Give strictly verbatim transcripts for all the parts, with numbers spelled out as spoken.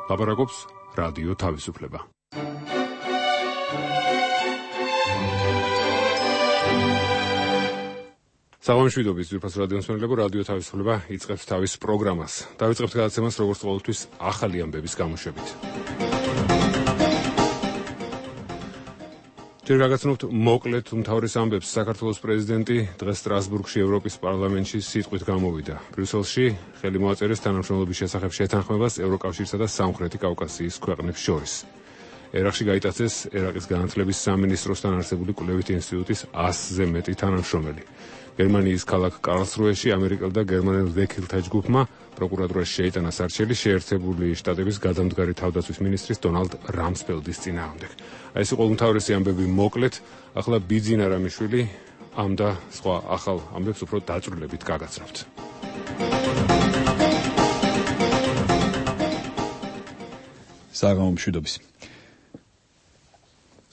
ლაპარაკობს რადიო თავისუფლება. საღამოშვიდობის ძვირფას რადიოს მსმენელებო, რადიო თავისუფლება იწყებს თავის პროგრამას. დავიწყებთ გადაცემას როგორც ყოველთვის ახალი ამბების გამოშვებით. ჯერ გაგაცნობთ მოკლედ უმთავრეს ამბებს. საქართველოს პრეზიდენტი დღეს სტრასბურგში ევროპის პარლამენტში სიტყვით გამოვიდა. ბრიუსელში ხელი მოაწერეს თანამშრომლობის შესახებ შეთანხმებას ევროკავშირსა და სამხრეთი კავკასიის ქვეყნებს შორის. ერაყში გაიტაცეს ერაყის განათლების სამინისტროსთან არსებული კვლევითი ინსტიტუტის ასზე მეტი თანამშრომელი. გერმანიის ქალაქ კარლსრუეში ამერიკელ და გერმანელ ვექილთა ჯგუფმა პროკურატურაში შეიტანა სარჩელი შეერთებული შტატების გადამდგარი თავდაცვის მინისტრის დონალდ რამსფელდის წინააღმდეგ. აი ეს იყო უმთავრესი ამბები მოკლედ. ახლა ბიძინა რამიშვილი ამ და სხვა ახალ ამბებს უფრო დაწვრილებით გაგაცნობთ. საღამომშვიდობის.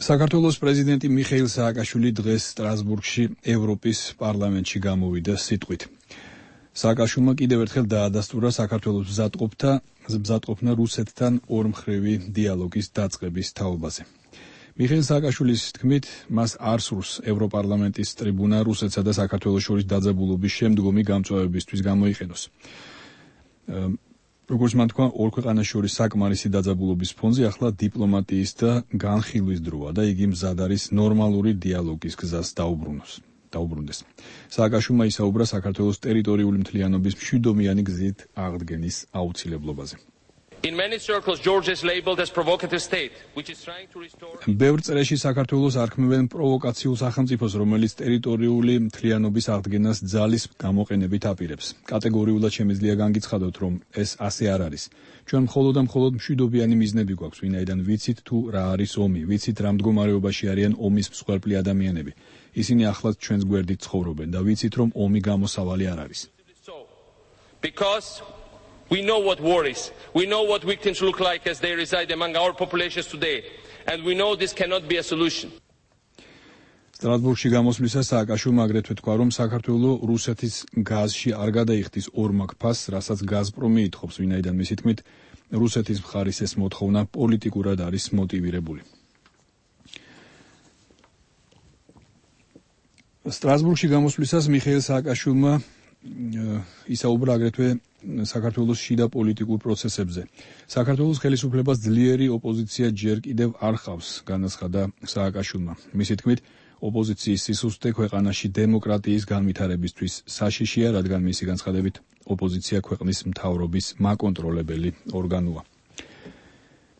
საქართველოს პრეზიდენტი მიხეილ სააკაშვილი დღეს სტრასბურგში ევროპის პარლამენტში გამოვიდა სიტყვით. სააკაშვილმა კიდევ ერთხელ დაადასტურა საქართველოს მზადყოფთა მზადყოფნა რუსეთთან ორმხრივი დიალოგის დაწყების თაობაზე. მიხეილ სააკაშვილის თქმით, მას არ სურს ევროპარლამენტის ტრიბუნა რუსეთსა და საქართველოს შორის დაძაბულობის შემდგომი გამწვავებისთვის გამოიყენოს. როგორც მან თქვა, ორ ქვეყანას შორის საკმარისი დაძაბულობის ფონზე ახლა დიპლომატიის და განხილვის დროა და იგი მზად არის ნორმალური დიალოგის გზას დაუბრუნოს. დაუბრუნდეს. სააკაშვილმა ისაუბრა საქართველოს ტერიტორიული მთლიანობის მშვიდობიანი გზით აღდგენის აუცილებლობაზე. In many circles, Georgia is labeled as provocative state, which is trying to restore. ბევრ წრეში საქართველოს არქმევენ პროვოკაციულ სახელმწიფოს, რომელიც ტერიტორიული მთლიანობის აღდგენას ძალის გამოყენებით აპირებს. კატეგორიულად შემიძლია განგიცხადოთ, რომ ეს ასე არ არის. ჩვენ მხოლოდ და მხოლოდ მშვიდობიანი მიზნები გვაქვს, ვინაიდან ვიცით თუ რა არის ომი, ვიცით რა მდგომარეობაში არიან ომის მსხვერპლი ადამიანები. ისინი ახლაც ჩვენს გვერდით ცხოვრობენ და ვიცით, რომ ომი გამოსავალი არ არის. Because we know what war is. We know what victims look like as they reside among our populations today. And we know this cannot be a solution. სტრასბურგში გამოსვლისას სააკაშვილმა აგრეთვე თქვა, რომ საქართველოს რუსეთის გაზში არ გადაიხდის ორმაგ ფასს, რასაც გაზპრომი ითხოვს, ვინაიდან მისი თქმით, რუსეთის მხარის ეს მოთხოვნა პოლიტიკურად არის მოტივირებული. სტრასბურგში გამოსვლისას მიხეილ სააკაშვილმა ისაუბრა აგრეთვე საქართველოს შიდა პოლიტიკურ პროცესებზე. საქართველოს ხელისუფლებას ძლიერი ოპოზიცია ჯერ კიდევ არ ჰყავს, განაცხადა სააკაშვილმა. მისი თქმით, ოპოზიციის სისუსტე ქვეყანაში დემოკრატიის განვითარებისთვის საშიშია, რადგან მისი განცხადებით ოპოზიცია ქვეყნის მთავრობის მაკონტროლებელი ორგანოა.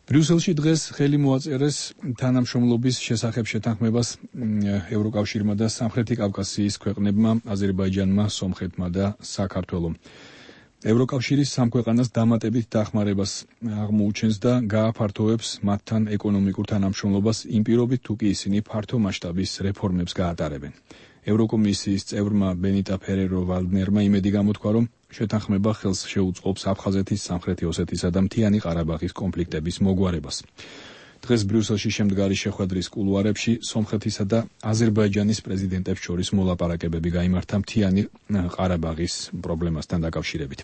ბრიუსელში დღეს ხელი მოაწერეს თანამშრომლობის შესახებ შეთანხმებას ევროკავშირმა და სამხრეთი კავკასიის ქვეყნებმა, აზერბაიჯანმა, სომხეთმა და საქართველომ. ევროკავშირის სამ ქვეყანას დამატებით დახმარებას აღმოუჩენს და გააფართოვებს მათთან ეკონომიკურ თანამშრომლობას იმ პირობით, თუ კი ისინი ფართო მასშტაბის რეფორმებს გაატარებენ. ევროკომისიის წევრმა ბენიტა ფერერო-ვალდნერმა იმედი გამოთქვა, რომ შეთანხმება ხელს შეუწყობს აფხაზეთის, სამხრეთი ოსეთისა და მთიანი ყარაბაღის კონფლიქტების მოგვარებას. დღეს ბრიუსელში შემდგარი შეხვედრის კულუარებში სომხეთისა და აზერბაიჯანის პრეზიდენტებს შორის მოლაპარაკებები გაიმართა მთიანი ყარაბაღის პრობლემასთან დაკავშირებით.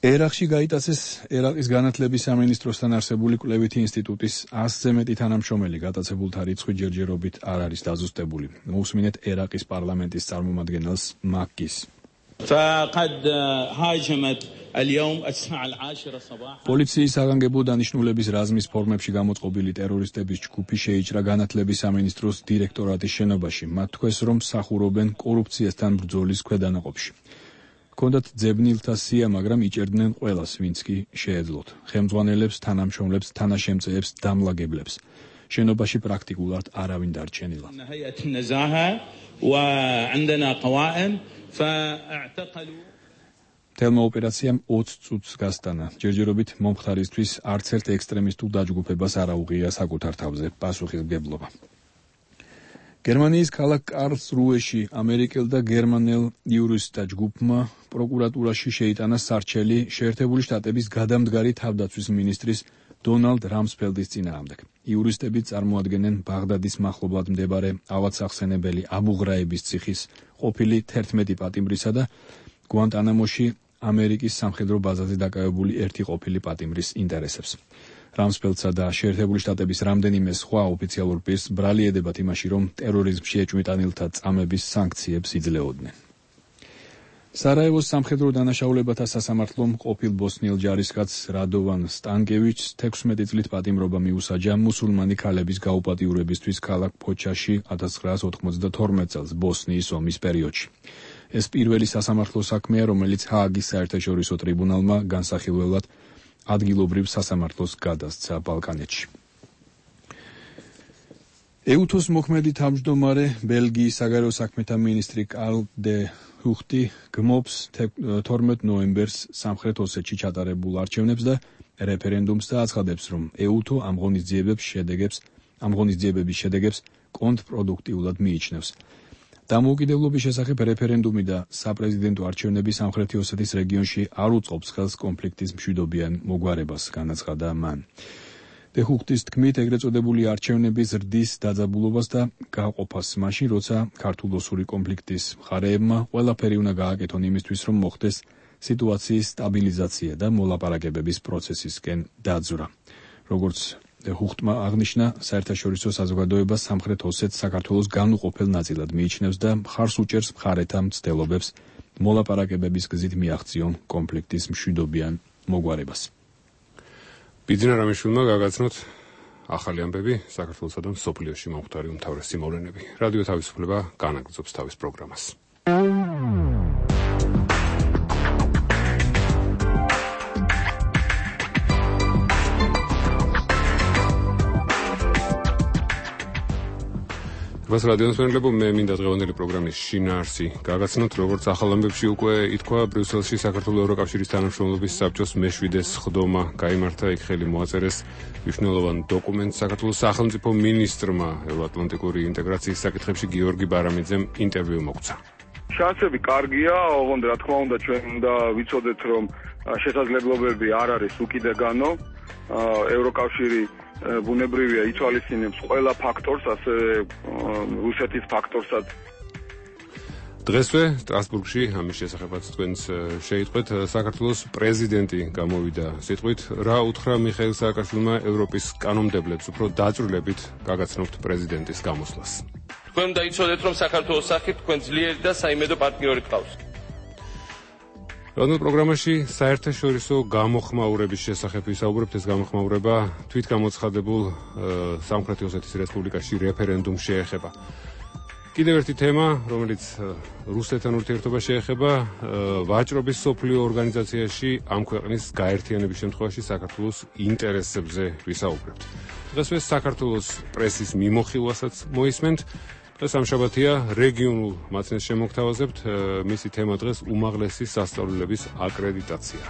ერაყში გაიტაცეს ერაყის განათლების სამინისტროსთან არსებული კვლევითი ინსტიტუტის ასზე მეტი თანამშრომელი. გატაცებულთა რიცხვი ჯერჯერობით არ არის დაზუსტებული. მოусმინეთ ერაყის პარლამენტის წარმომადგენელს მაკგის. პოლიციის საგანგებო დანიშნულების რაზმის ფორმებში გამოწყობილი ტერორისტების ჯგუფი შეიჭრა განათლების სამინისტროს დირექტორატის შენობაში. მათ თქვეს, რომ მსახურობენ კორუფციასთან ბრძოლის ქვედანაყოფში. ჰქონდათ ძებნილთა სია, მაგრამ იჭერდნენ ყველას, ვინც კი შეეძლოთ. ხელმძღვანელებს, თანამშრომლებს, თანაშემწეებს, დამლაგებლებს. შენობაში პრაქტიკულად არავინ დარჩენილა. თელმა ოპერაციამ ოცი წუთს გასტანა. ჯერჯერობით მომხდარისთვის არც ერთ ექსტრემისტულ დაჯგუფებას არ აუღია საკუთარ თავზე პასუხისმგებლობა. გერმანიის ქალაქ კარლსრუეში ამერიკელ და გერმანელ იურისტთა ჯგუფმა პროკურატურაში შეიტანა სარჩელი შეერთებული შტატების გადამდგარი თავდაცვის მინისტრის დონალდ რამსფელდის წინააღმდეგ. იურისტები წარმოადგენენ ბაღდადის მახლობლად მდებარე ავადსახსენებელი აბუ ღრაიბის ციხის ყოფილი თერთმეტი პატიმრისა და გვანტანამოში ამერიკის სამხედრო ბაზაზე დაკავებული ერთი ყოფილი პატიმრის ინტერესებს. რამსფელდსა და შეერთებული შტატების რამდენიმე სხვა ოფიციალურ პირს ბრალი ედებათ იმაში, რომ ტერორიზმში ეჭვმიტანილთა წამების სანქციებს იძლეოდნენ. სარაევოს სამხედრო დანაშაულებათა სასამართლომ ყოფილ ბოსნიელ ჯარისკაცს რადოვან სტანკევიჩს თექვსმეტი წლით პატიმრობა მიუსაჯა მუსულმანი ქალების გაუპატიურებისთვის ქალაქ ფოჩაში ათას ცხრაას ოთხმოცდათორმეტ წელს ბოსნიის ომის პერიოდში. ეს პირველი სასამართლო საქმეა, რომელიც ჰააგის საერთაშორისო ტრიბუნალმა განსახილველად ადგილობრივ სასამართლოს გადასცა ბალკანეთში. ეუთოს მოქმედი თავმჯდომარე ბელგიის საგარეო საქმეთა მინისტრი კარლ დე ჰუხტი გმობს თორმეტ ნოემბერს სამხრეთ ოსეთში ჩატარებულ არჩევნებს და რეფერენდუმს და აცხადებს, რომ ეუთო ამ ღონისძიებების შედეგებს, ამ ღონისძიებების შედეგებს კონტრპროდუქტიულად მიიჩნევს. დამოუკიდებლობის შესახებ რეფერენდუმი და საპრეზიდენტო არჩევნები სამხრეთი ოსეთის რეგიონში არ უწყობს ხელს კონფლიქტის მშვიდობიან მოგვარებას, განაცხადა მან. დე ჰუხტის თქმით, ეგრეთ წოდებული არჩევნები ზრდის დაძაბულობას და გაყოფას მაშინ, როცა ქართულ-ოსური კონფლიქტის მხარეებმა ყველაფერი უნდა გააკეთონ იმისთვის, რომ მოხდეს სიტუაციის სტაბილიზაცია და მოლაპარაკებების პროცესისკენ დაძვრა. როგორც დე ჰუხტმა აღნიშნა, საერთაშორისო საზოგადოება სამხრეთ ოსეთს საქართველოს განუყოფელ ნაწილად მიიჩნევს და მხარს უჭერს მხარეთა მცდელობებს მოლაპარაკებების გზით მიაღწიონ კონფლიქტის მშვიდობიან მოგვარებას. ბიძინა რამიშვილმა გაგაცნოთ ახალი ამბები საქართველოსა და მსოფლიოში მომხდარი უმთავრესი მოვლენები. რადიო თავისუფლება განაგრძობს თავის პროგრამას. вас რადიოს მეგობრებო, მე მინდა დღევანდელი პროგრამის შინაარსი გაგაცნოთ, როგორც ახალ ამბებში უკვე ითქვა, ბრიუსელში საქართველოს ევროკავშირის თანამშრომლობის საბჭოს მეშვიდე სხდომა გაიმართა, იქ ხელი მოაწერეს მნიშვნელოვან დოკუმენტს საქართველოს სახელმწიფო მინისტრმა ევროატლანტიკური ინტეგრაციის საკითხებში გიორგი ბარამიძემ ინტერვიუ მოგცა. შანსები კარგია, ოღონდ რა თქმა უნდა ჩვენ უნდა ვიცოდეთ, რომ შესაძლებლობები არ არის უკიდეგანო, ევროკავშირი ბუნებრივია ითვალისწინებს ყველა ფაქტორს, ასევე რუსეთის ფაქტორსაც. დღესვე სტრასბურგში ამის შესახებაც თქვენს შეიტყვეთ, საქართველოს პრეზიდენტი გამოვიდა სიტყვით, რა უთხრა მიხეილ სააკაშვილმა ევროპის კანონმდებლებს უფრო დაწვრილებით გაგაცნობთ პრეზიდენტის გამოსვლას. თქვენ უნდა იცოდეთ, რომ საქართველოს სახით თქვენ ძლიერი და საიმედო პარტნიორი გყავს. რადიო პროგრამაში საერთაშორისო გამოხმაურების შესახებ ვისაუბრებთ. ეს გამოხმაურება თვითგამოცხადებულ სამხრეთი ოსეთის რესპუბლიკაში რეფერენდუმს შეეხება. კიდევ ერთი თემა, რომელიც რუსეთთან ურთიერთობას შეეხება, ვაჭრობის სოფლიო ორგანიზაციაში ამ ქვეყნის გაერთიანების შემთხვევაში საქართველოს ინტერესებზე ვისაუბრებთ. დღესვე საქართველოს პრესის მიმოხილვასაც მოისმენთ. დღეს ამშაბათია, რეგიონულ მაცნეს შემოგთავაზებთ, მისი თემა დღეს უმაღლესი სასწავლებლების აკრედიტაცია.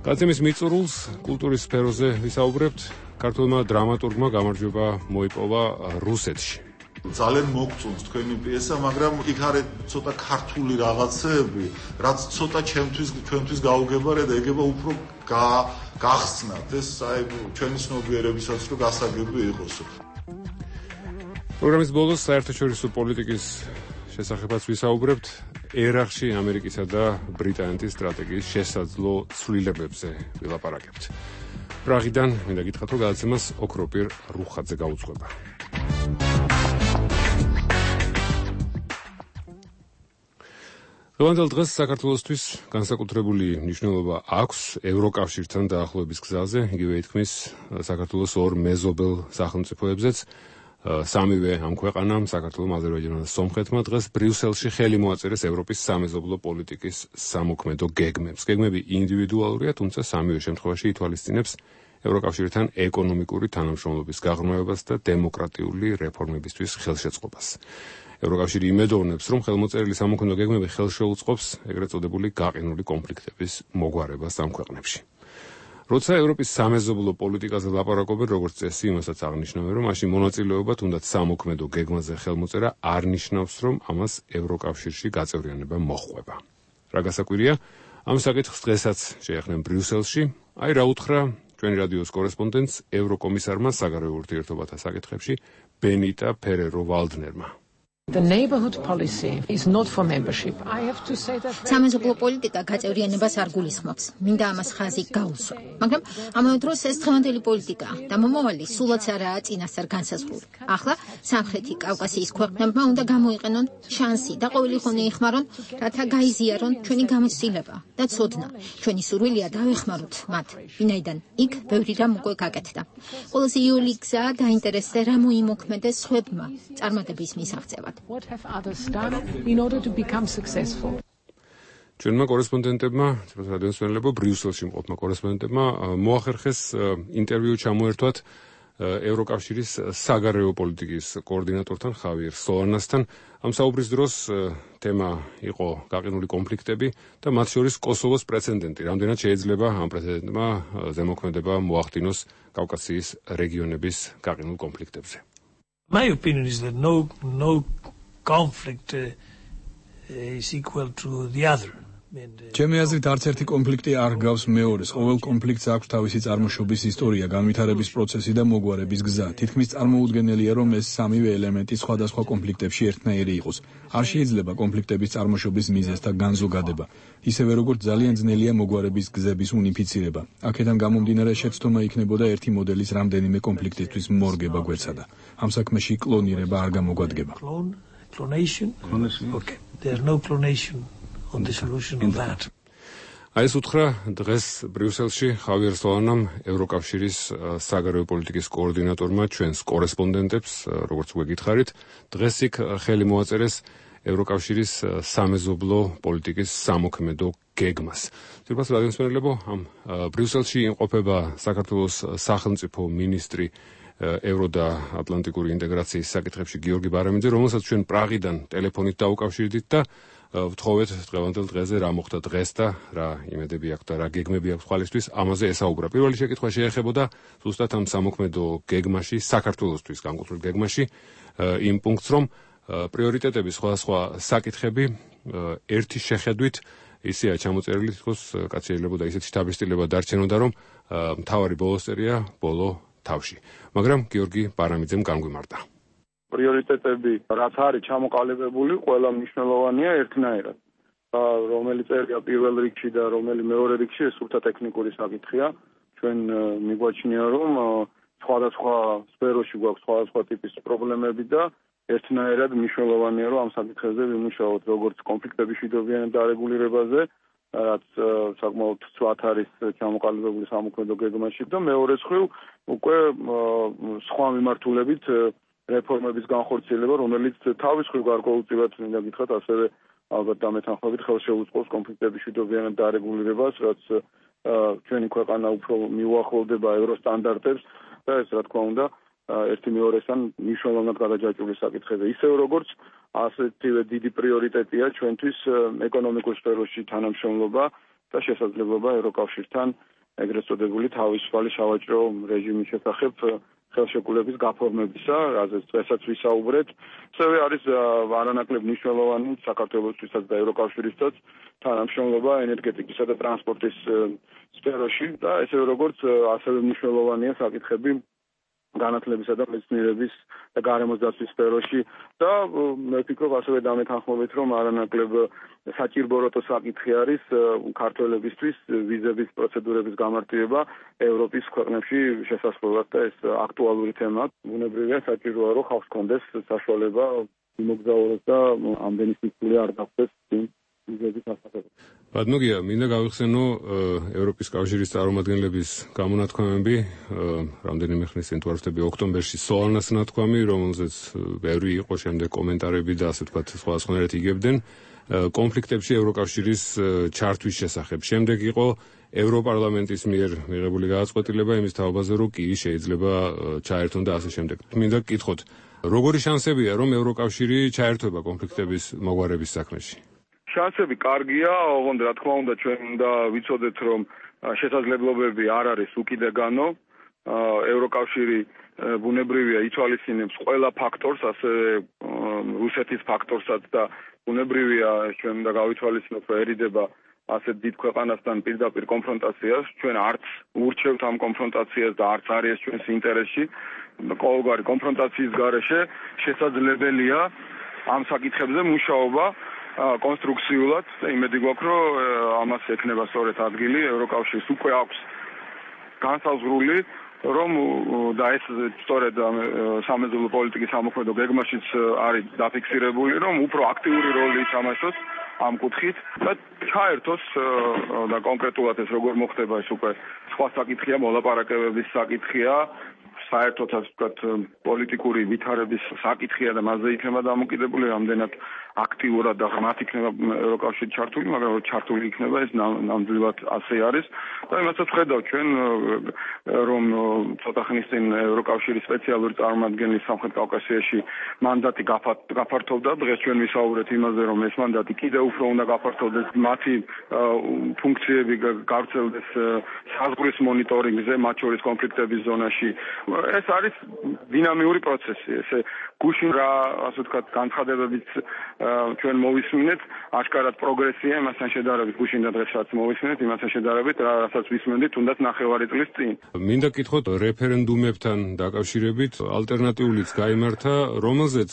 გაცემის მიწურულს კულტურის სფეროზე ვისაუბრებთ. ქართველმა დრამატურგმა გამარჯვება მოიპოვა რუსეთში. ძალიან მოგწონს თქვენი პიესა, მაგრამ იქ არის ცოტა ქართული რაღაცეები, რაც ცოტა ჩემთვის ჩვენთვის გაუგებარია და ეგება უფრო გახსნათ. ეს აი ჩვენი ცნობიერებისაც რო გასაგები იყოს. პროგრამის ბოლოს საერთაშორისო პოლიტიკის შესახებაც ვისაუბრებთ. ერაყში ამერიკისა და ბრიტანეთის სტრატეგიის შესაძლო ცვლილებებზე ვილაპარაკებთ. პრაღიდან მინდა გითხრათ, რომ გადაცემას ოქროპირ რუხაძე გაუძღვება. დღევანდელ დღეს საქართველოსთვის განსაკუთრებული მნიშვნელობა აქვს ევროკავშირთან დაახლოების გზაზე, იგივე ითქმის საქართველოს ორ მეზობელ სახელმწიფოებზეც. სამივე ამ ქვეყანამ, საქართველომ, აზერბაიჯანმა და სომხეთმა დღეს ბრიუსელში ხელი მოაწერეს ევროპის სამეზობლო პოლიტიკის სამოქმედო გეგმებს. გეგმები ინდივიდუალურია, თუმცა სამივე შემთხვევაში ითვალისწინებს ევროკავშირთან ეკონომიკური თანამშრომლობის გაღრმავებას და დემოკრატიული რეფორმებისთვის ხელშეწყობას. ევროკავშირი იმედოვნებს, რომ ხელმოწერილი სამოქმედო გეგმები ხელშეუწყობს ეგრეთ წოდებული გაყინული კონფლიქტების მოგვარებას ამ ქვეყნებში. როცა ევროპის სამეზობლო პოლიტიკაზე ლაპარაკობენ, როგორც წესი, იმასაც აღნიშნავენ, რომ მაშინ მონაწილეობა თუნდაც სამოქმედო გეგმაზე ხელმოწერა არ ნიშნავს, რომ ამას ევროკავშირში გაწევრიანება მოჰყვება. რა გასაკვირია, ამ საკითხს დღესაც შეეხნენ ბრიუსელში, აი რა უთხრა ჩვენი რადიოს კორესპონდენტს ევროკომისარმა საგარეო ურთიერთობათა საკითხებში ბენიტა ფერერო ვალდნერმა. The neighborhood policy is not for membership. I have to say that სამეზობლო პოლიტიკა გაწევრიანებას არ გულისხმობს. მინდა ამას ხაზი გაუსვა. მაგრამ ამავე დროს ეს დღევანდელი პოლიტიკაა და მომავალი სულაც არაა წინასწარ განსაზღვრული. ახლა სამხრეთი კავკასიის ქვეყნებმა უნდა გამოიყენონ შანსი და ყოველი ხონე იხმარონ, რათა გაიზიარონ ჩვენი გამოცდილება და ცოდნა. ჩვენი სურვილია დავეხმაროთ მათ, ვინაიდან იქ ბევრი რამ უკვე გაკეთდა. ყველაზე იოლი გზა დაინტერესდა რა მოიმოქმედეს სხვებმა წარმატების მისაღწევად. What have others done in order to become successful? ჩვენმა კორესპონდენტებმა, რადიოს მცველებო, ბრიუსელში მყოფმა კორესპონდენტებმა მოახერხეს ინტერვიუ ჩამოერთვათ ევროკავშირის საგარეო პოლიტიკის კოორდინატორთან ხავიერ სოლანასთან. ამ საუბრის დროს თემა იყო გაყინული კონფლიქტები და მათ შორის კოსოვოს პრეცედენტი. რამდენად შეიძლება ამ პრეცედენტმა ზემოქმედება მოახდინოს კავკასიის რეგიონების გაყინულ კონფლიქტებზე. My opinion is that no no conflict uh, is equal to the other. ჩემი აზრით არც ერთი კონფლიქტი არ გავს მეორეს. ყოველ კონფლიქტს აქვს თავისი წარმოშობის ისტორია, განვითარების პროცესი და მოგვარების გზა. თითქმის წარმოუდგენელია, რომ ეს სამივე ელემენტი სხვადასხვა კონფლიქტებში ერთნაირი იყოს. არ შეიძლება კონფლიქტების წარმოშობის მიზეზთა განზოგადება. ისევე როგორც ძალიან ძნელია მოგვარების გზების უნიფიცირება. აქედან გამომდინარე შეცდომა იქნებოდა ერთი მოდელის რამდენიმე კონფლიქტისთვის მორგება გვეცადა. ამ საქმეში კლონირება არ გამოგვადგება. Clone, clonation? Okay. There's no clonation on the solution of that. აი ეს უთხრა დღეს ბრიუსელში ხავიერ სოლანამ, ევროკავშირის საგარეო პოლიტიკის კოორდინატორმა ჩვენს კორესპონდენტებს, როგორც უკვე გითხარით, დღეს იქ ხელი მოაწერეს ევროკავშირის სამეზობლო პოლიტიკის სამოქმედო გეგმას. ძირფას რადიოს მცველებო, ამ ბრიუსელში იმყოფება საქართველოს სახელმწიფო მინისტრი ევრო და ატლანტიკური ინტეგრაციის საკითხებში გიორგი ბარამიძე, რომელსაც ჩვენ პრაღიდან ტელეფონით დაუკავშირდით და ვთხოვეთ დღევანდელ დღეზე რა მოხდა დღეს და რა იმედები აქვს და რა გეგმები აქვს ხვალისთვის, ამაზე ესაუბრა. პირველი შეკითხვა შეეხებოდა ზუსტად ამ სამოქმედო გეგმაში, საქართველოსთვის განკუთვნილ გეგმაში, იმ პუნქტს, რომ პრიორიტეტები სხვადასხვა საკითხები ერთი შეხედვით ისეა ჩამოწერილი, თქოს კაც შეიძლება და ისეთ შთაბეჭდილება დარჩენოდა, რომ მთავარი ბოლოსწერია ბოლო თავში. მაგრამ გიორგი ბარამიძემ განგვიმარტა. პრიორიტეტები რაც არის ჩამოყალიბებული, ყველა მნიშვნელოვანია ერთნაირად. რომელიც წერია პირველ რიგში და რომელი მეორე რიგში, ეს სულთა ტექნიკური საკითხია. ჩვენ მიგვაჩნია, რომ სხვადასხვა სფეროში გვაქვს სხვადასხვა ტიპის პრობლემები და ერთნაირად მნიშვნელოვანია, რომ ამ საკითხებზე ვიმუშაოთ, როგორც კონფლიქტების მშვიდობიან დარეგულირებაზე, რაც საკმაოდ ცვათ არის ჩამოყალიბებული სამოქმედო გეგმაში და მეორე მხრივ უკვე სხვა მიმართულებით რეფორმების განხორციელება, რომელიც თავის მხრივ გარკვეულწილად მინდა გითხრათ, ასევე ალბათ დამეთანხმებით ხელშეუწყობს კონფლიქტების მშვიდობიან დარეგულირებას, რაც ჩვენი ქვეყანა უფრო მიუახლოვდება ევროსტანდარტებს და ეს რა თქმა უნდა ერთი მეორესთან მნიშვნელოვნად გადაჯაჭვული საკითხები. ისევე როგორც ასეთივე დიდი პრიორიტეტია ჩვენთვის ეკონომიკურ სფეროში თანამშრომლობა და შესაძლებლობა ევროკავშირთან ეგრეთ წოდებული თავისუფალი სავაჭრო რეჟიმის შესახებ ხელშეკრულების გაფორმებისა, რაზეც დღესაც ვისაუბრეთ. ასევე არის არანაკლებ მნიშვნელოვანი საქართველოსთვისაც და ევროკავშირისთვისაც თანამშრომლობა ენერგეტიკისა და ტრანსპორტის სფეროში და ესევე როგორც ასევე მნიშვნელოვანია საკითხები განათლებისა და მეცნიერების და გარემოს დაცვის სფეროში და მე ვფიქრობ ასევე დამეთანხმებით, რომ არანაკლებ საჭიროებო საკითხი არის ქართველებისთვის ვიზების პროცედურების გამარტივება ევროპის ქვეყნებში შესაძლებლად და ეს აქტუალური თემაა. ბუნებრივია საჭიროა, რომ ხალხს კონდეს საშუალება იმოგზაუროს და ამდენი სიკვდილი არ დაგხვდეს ვიზების ასახებად. ბატონია, მინდა გავიხსენო ევროპის კავშირის წარმომადგენლების გამონათქვამები, რამდენიმე ხნის წინ თუ არ ვთქვი, ოქტომბერში სოლანას ნათქვამი, რომელზეც ბევრი იყო შემდეგ კომენტარები და ასე ვთქვათ, სხვადასხვანაირად იგებდნენ კონფლიქტებში ევროკავშირის ჩართვის შესახებ. შემდეგ იყო ევროპარლამენტის მიერ მიღებული გადაწყვეტილება იმის თაობაზე, რომ კი შეიძლება ჩაერთონ და ასე შემდეგ. მინდა გკითხოთ, როგორი შანსებია, რომ ევროკავშირი ჩაერთვება კონფლიქტების მოგვარების საქმეში? შანსები კარგია, ოღონდ რა თქმა უნდა ჩვენ უნდა ვიცოდეთ, რომ შესაძლებლობები არ არის უკიდეგანო. ევროკავშირი ბუნებრივია ითვალისწინებს ყველა ფაქტორს, ასევე რუსეთის ფაქტორსაც და ბუნებრივია ჩვენ უნდა გავითვალისწინოთ, რომერიდება ასეთ დიდ ქვეყანასთან პირდაპირ კონფრონტაციას. ჩვენ არც ურჩევთ ამ კონფრონტაციას და არც არის ჩვენს ინტერესში. ყოველგვარი კონფრონტაციის გარეშე შესაძლებელია ამ საკითხებზე მუშაობა კონსტრუქციულად და იმედი გვაქვს, რომ ამას ექნება სწორედ ადგილი ევროკავშირის უკვე აქვს განსაზღვრული, რომ და ეს სწორედ სამეზობლო პოლიტიკის სამოქმედო გეგმაშიც არის დაფიქსირებული, რომ უფრო აქტიური როლი ითამაშოს ამ კუთხით და ჩაერთოს და კონკრეტულად ეს როგორ მოხდება ეს უკვე სხვა საკითხია, მოლაპარაკებების საკითხია, საერთოდ ასე ვთქვათ პოლიტიკური ვითარების საკითხია და მასზე იქნება დამოკიდებული, რამდენად აქტიურად და ღრმად იქნება ევროკავშირი ჩართული, მაგრამ ჩართული იქნება ეს ნამდვილად ასე არის და იმასაც ვხედავ ჩვენ რომ ცოტა ხნის წინ ევროკავშირის სპეციალური წარმომადგენლის სამხრეთ კავკასიაში მანდატი გაფართოვდა, დღეს ჩვენ ვისაუბრეთ იმაზე, რომ ეს მანდატი კიდევ უფრო უნდა გაფართოვდეს, მათი ფუნქციები გავრცელდეს საზღვრის მონიტორინგზე, მათ შორის კონფლიქტების ზონაში. ეს არის დინამიური პროცესი, ესე გუშინ რა ასე ვთქვათ განცხადებებით ჩვენ მოვისმინეთ, აშკარად პროგრესია იმასთან შედარებით, გუშინ და დღეს რაც მოვისმინეთ, იმასთან შედარებით, რასაც ვისმენდით, თუნდაც ნახევარი წლის წინ. მინდა გითხოთ რეფერენდუმებთან დაკავშირებით, ალტერნატიულიც გაიმართა, რომელზეც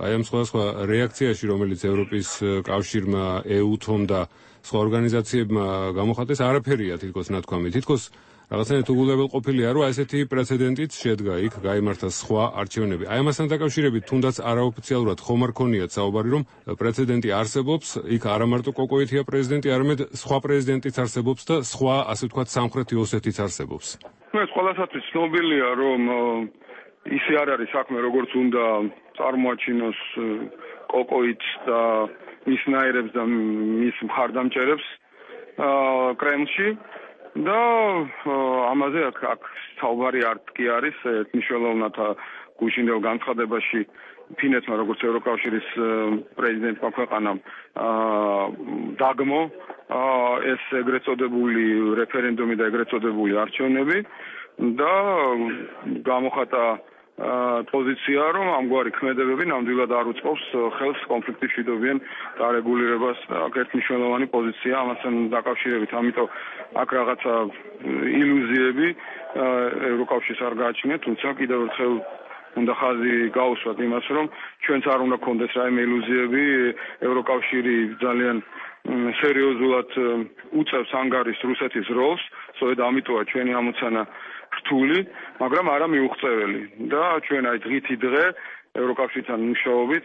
აი ამ სხვადასხვა რეაქციაში, რომელიც ევროპის კავშირმა, ე-უთომ და სხვა ორგანიზაციებმა გამოხატეს, არაფერია თითქოს ნათქვამი. თითქოს რაღაცნაირად უგულებელყოფილია, რომ ესეთი პრეცედენტიც შედგა იქ, გაიმართა სხვა არჩევნები. აი ამასთან დაკავშირებით თუნდაც არაოფიციალურად ხომ არ ქონიათ საუბარი, რომ პრეცედენტი არსებობს, იქ არა მარტო კოკოითია პრეზიდენტი, არამედ სხვა პრეზიდენტიც არსებობს და სხვა, ასე ვთქვათ, სამხრეთი ოსეთიც არსებობს. ეს ყველასათვის ცნობილია, რომ ისე არ არის საქმე, როგორც უნდა წარმოაჩინოს კოკოიც და მის ნაირებს და მის მხარდამჭერებს კრემლში. და ამაზე აქ აქ საუბარი არ კი არის, მნიშვნელოვნად გუშინდელ განცხადებაში ფინეთმა როგორც ევროკავშირის პრეზიდენტმა ქვეყანამ დაგმო ეს ეგრეთ წოდებული რეფერენდუმი და ეგრეთ წოდებული არჩევნები და გამოხატა პოზიცია, რომ ამგვარი ქმედებები ნამდვილად არ უწყობს ხელს კონფლიქტის მშვიდობიან დარეგულირებას და აქ ერთმნიშვნელოვანი პოზიცია ამასთან დაკავშირებით, ამიტომ აქ რაღაცა ილუზიები ევროკავშირს არ გააჩნიათ, თუმცა კიდევ ერთხელ უნდა ხაზი გაუსვათ იმას, რომ ჩვენც არ უნდა გქონდეს რაიმე ილუზიები, ევროკავშირი ძალიან სერიოზულად უწევს ანგარიშს რუსეთის როლს, სწორედ ამიტომა ჩვენი ამოცანა რთული, მაგრამ არა მიუღწეველი და ჩვენ აი დღითი დღე ევროკავშირთან მუშაობით,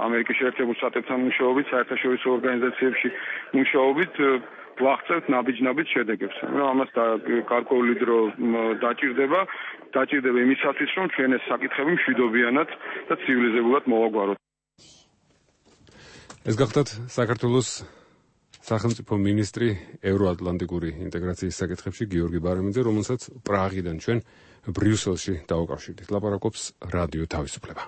ამერიკის შეერთებულ შტატებთან მუშაობით, საერთაშორისო ორგანიზაციებში მუშაობით ვაღწევთ ნაბიჯ-ნაბიჯ შედეგებს. ამას გარკვეული დრო დაჭირდება, დაჭირდება იმისათვის, რომ ჩვენ ეს საკითხები მშვიდობიანად და ცივილიზებულად მოვაგვაროთ. ეს გახდათ საქართველოს სახელმწიფო მინისტრი ევროატლანტიკური ინტეგრაციის საკითხებში გიორგი ბარემიძე, რომელსაც პრაღიდან ჩვენ ბრიუსელში დავუკავშირდით. ლაპარაკობს რადიო თავისუფლება.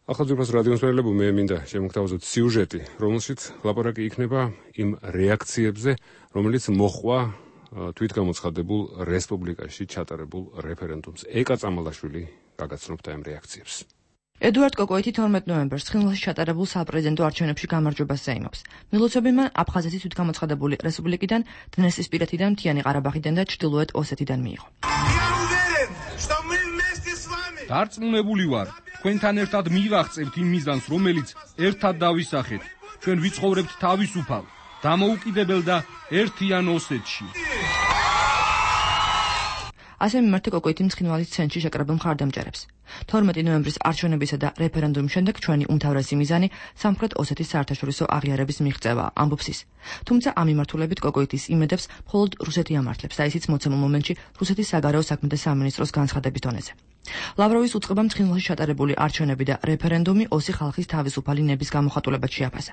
ახალძვირფას რადიოს მერლებო, მე მინდა შემოგთავაზოთ სიუჟეტი, რომელშიც ლაპარაკი იქნება იმ რეაქციებზე, რომელიც მოჰყვა თვითგამოცხადებულ რესპუბლიკაში ჩატარებულ რეფერენდუმს. ეკა წამალაშვილი გაგაცნობთ ამ რეაქციებს. ედუარდ კოკოითი თორმეტ ნოემბერს ცხინვალში ჩატარებულ საპრეზიდენტო არჩევნებში გამარჯვებას ზეიმობს. მილოცებებმა აფხაზეთის თვითგამოცხადებული რესპუბლიკიდან, დნესტრისპირეთიდან, მთიანი ყარაბაღიდან და ჩრდილოეთ ოსეთიდან მიიღო. დარწმუნებული ვარ, თქვენთან ერთად მივაღწევთ იმ მიზანს, რომელიც ერთად დავისახეთ. ჩვენ ვიცხოვრებთ თავისუფალ, დამოუკიდებელ და ერთიან ოსეთში. ასე მიმართა კოკოითი ცხინვალის ცენტრში შეკრებილ მხარდამჭერებს. თორმეტი ნოემბრის არჩევნებისა და რეფერენდუმის შემდეგ ჩვენი უმთავრესი მიზანი სამხრეთ ოსეთის საერთაშორისო აღიარების მიღწევა, ამბობს ის. თუმცა ამ მიმართულებით კოკოითის იმედებს მხოლოდ რუსეთი ამართლებს და ისიც მოცემულ მომენტში რუსეთის საგარეო საქმეთა სამინისტროს განცხადების დონეზე. ლავროვის უწყებამ ცხინვალში ჩატარებული არჩევნები და რეფერენდუმი ოსი ხალხის თავისუფალი ნების გამოხატულებად შეაფასა.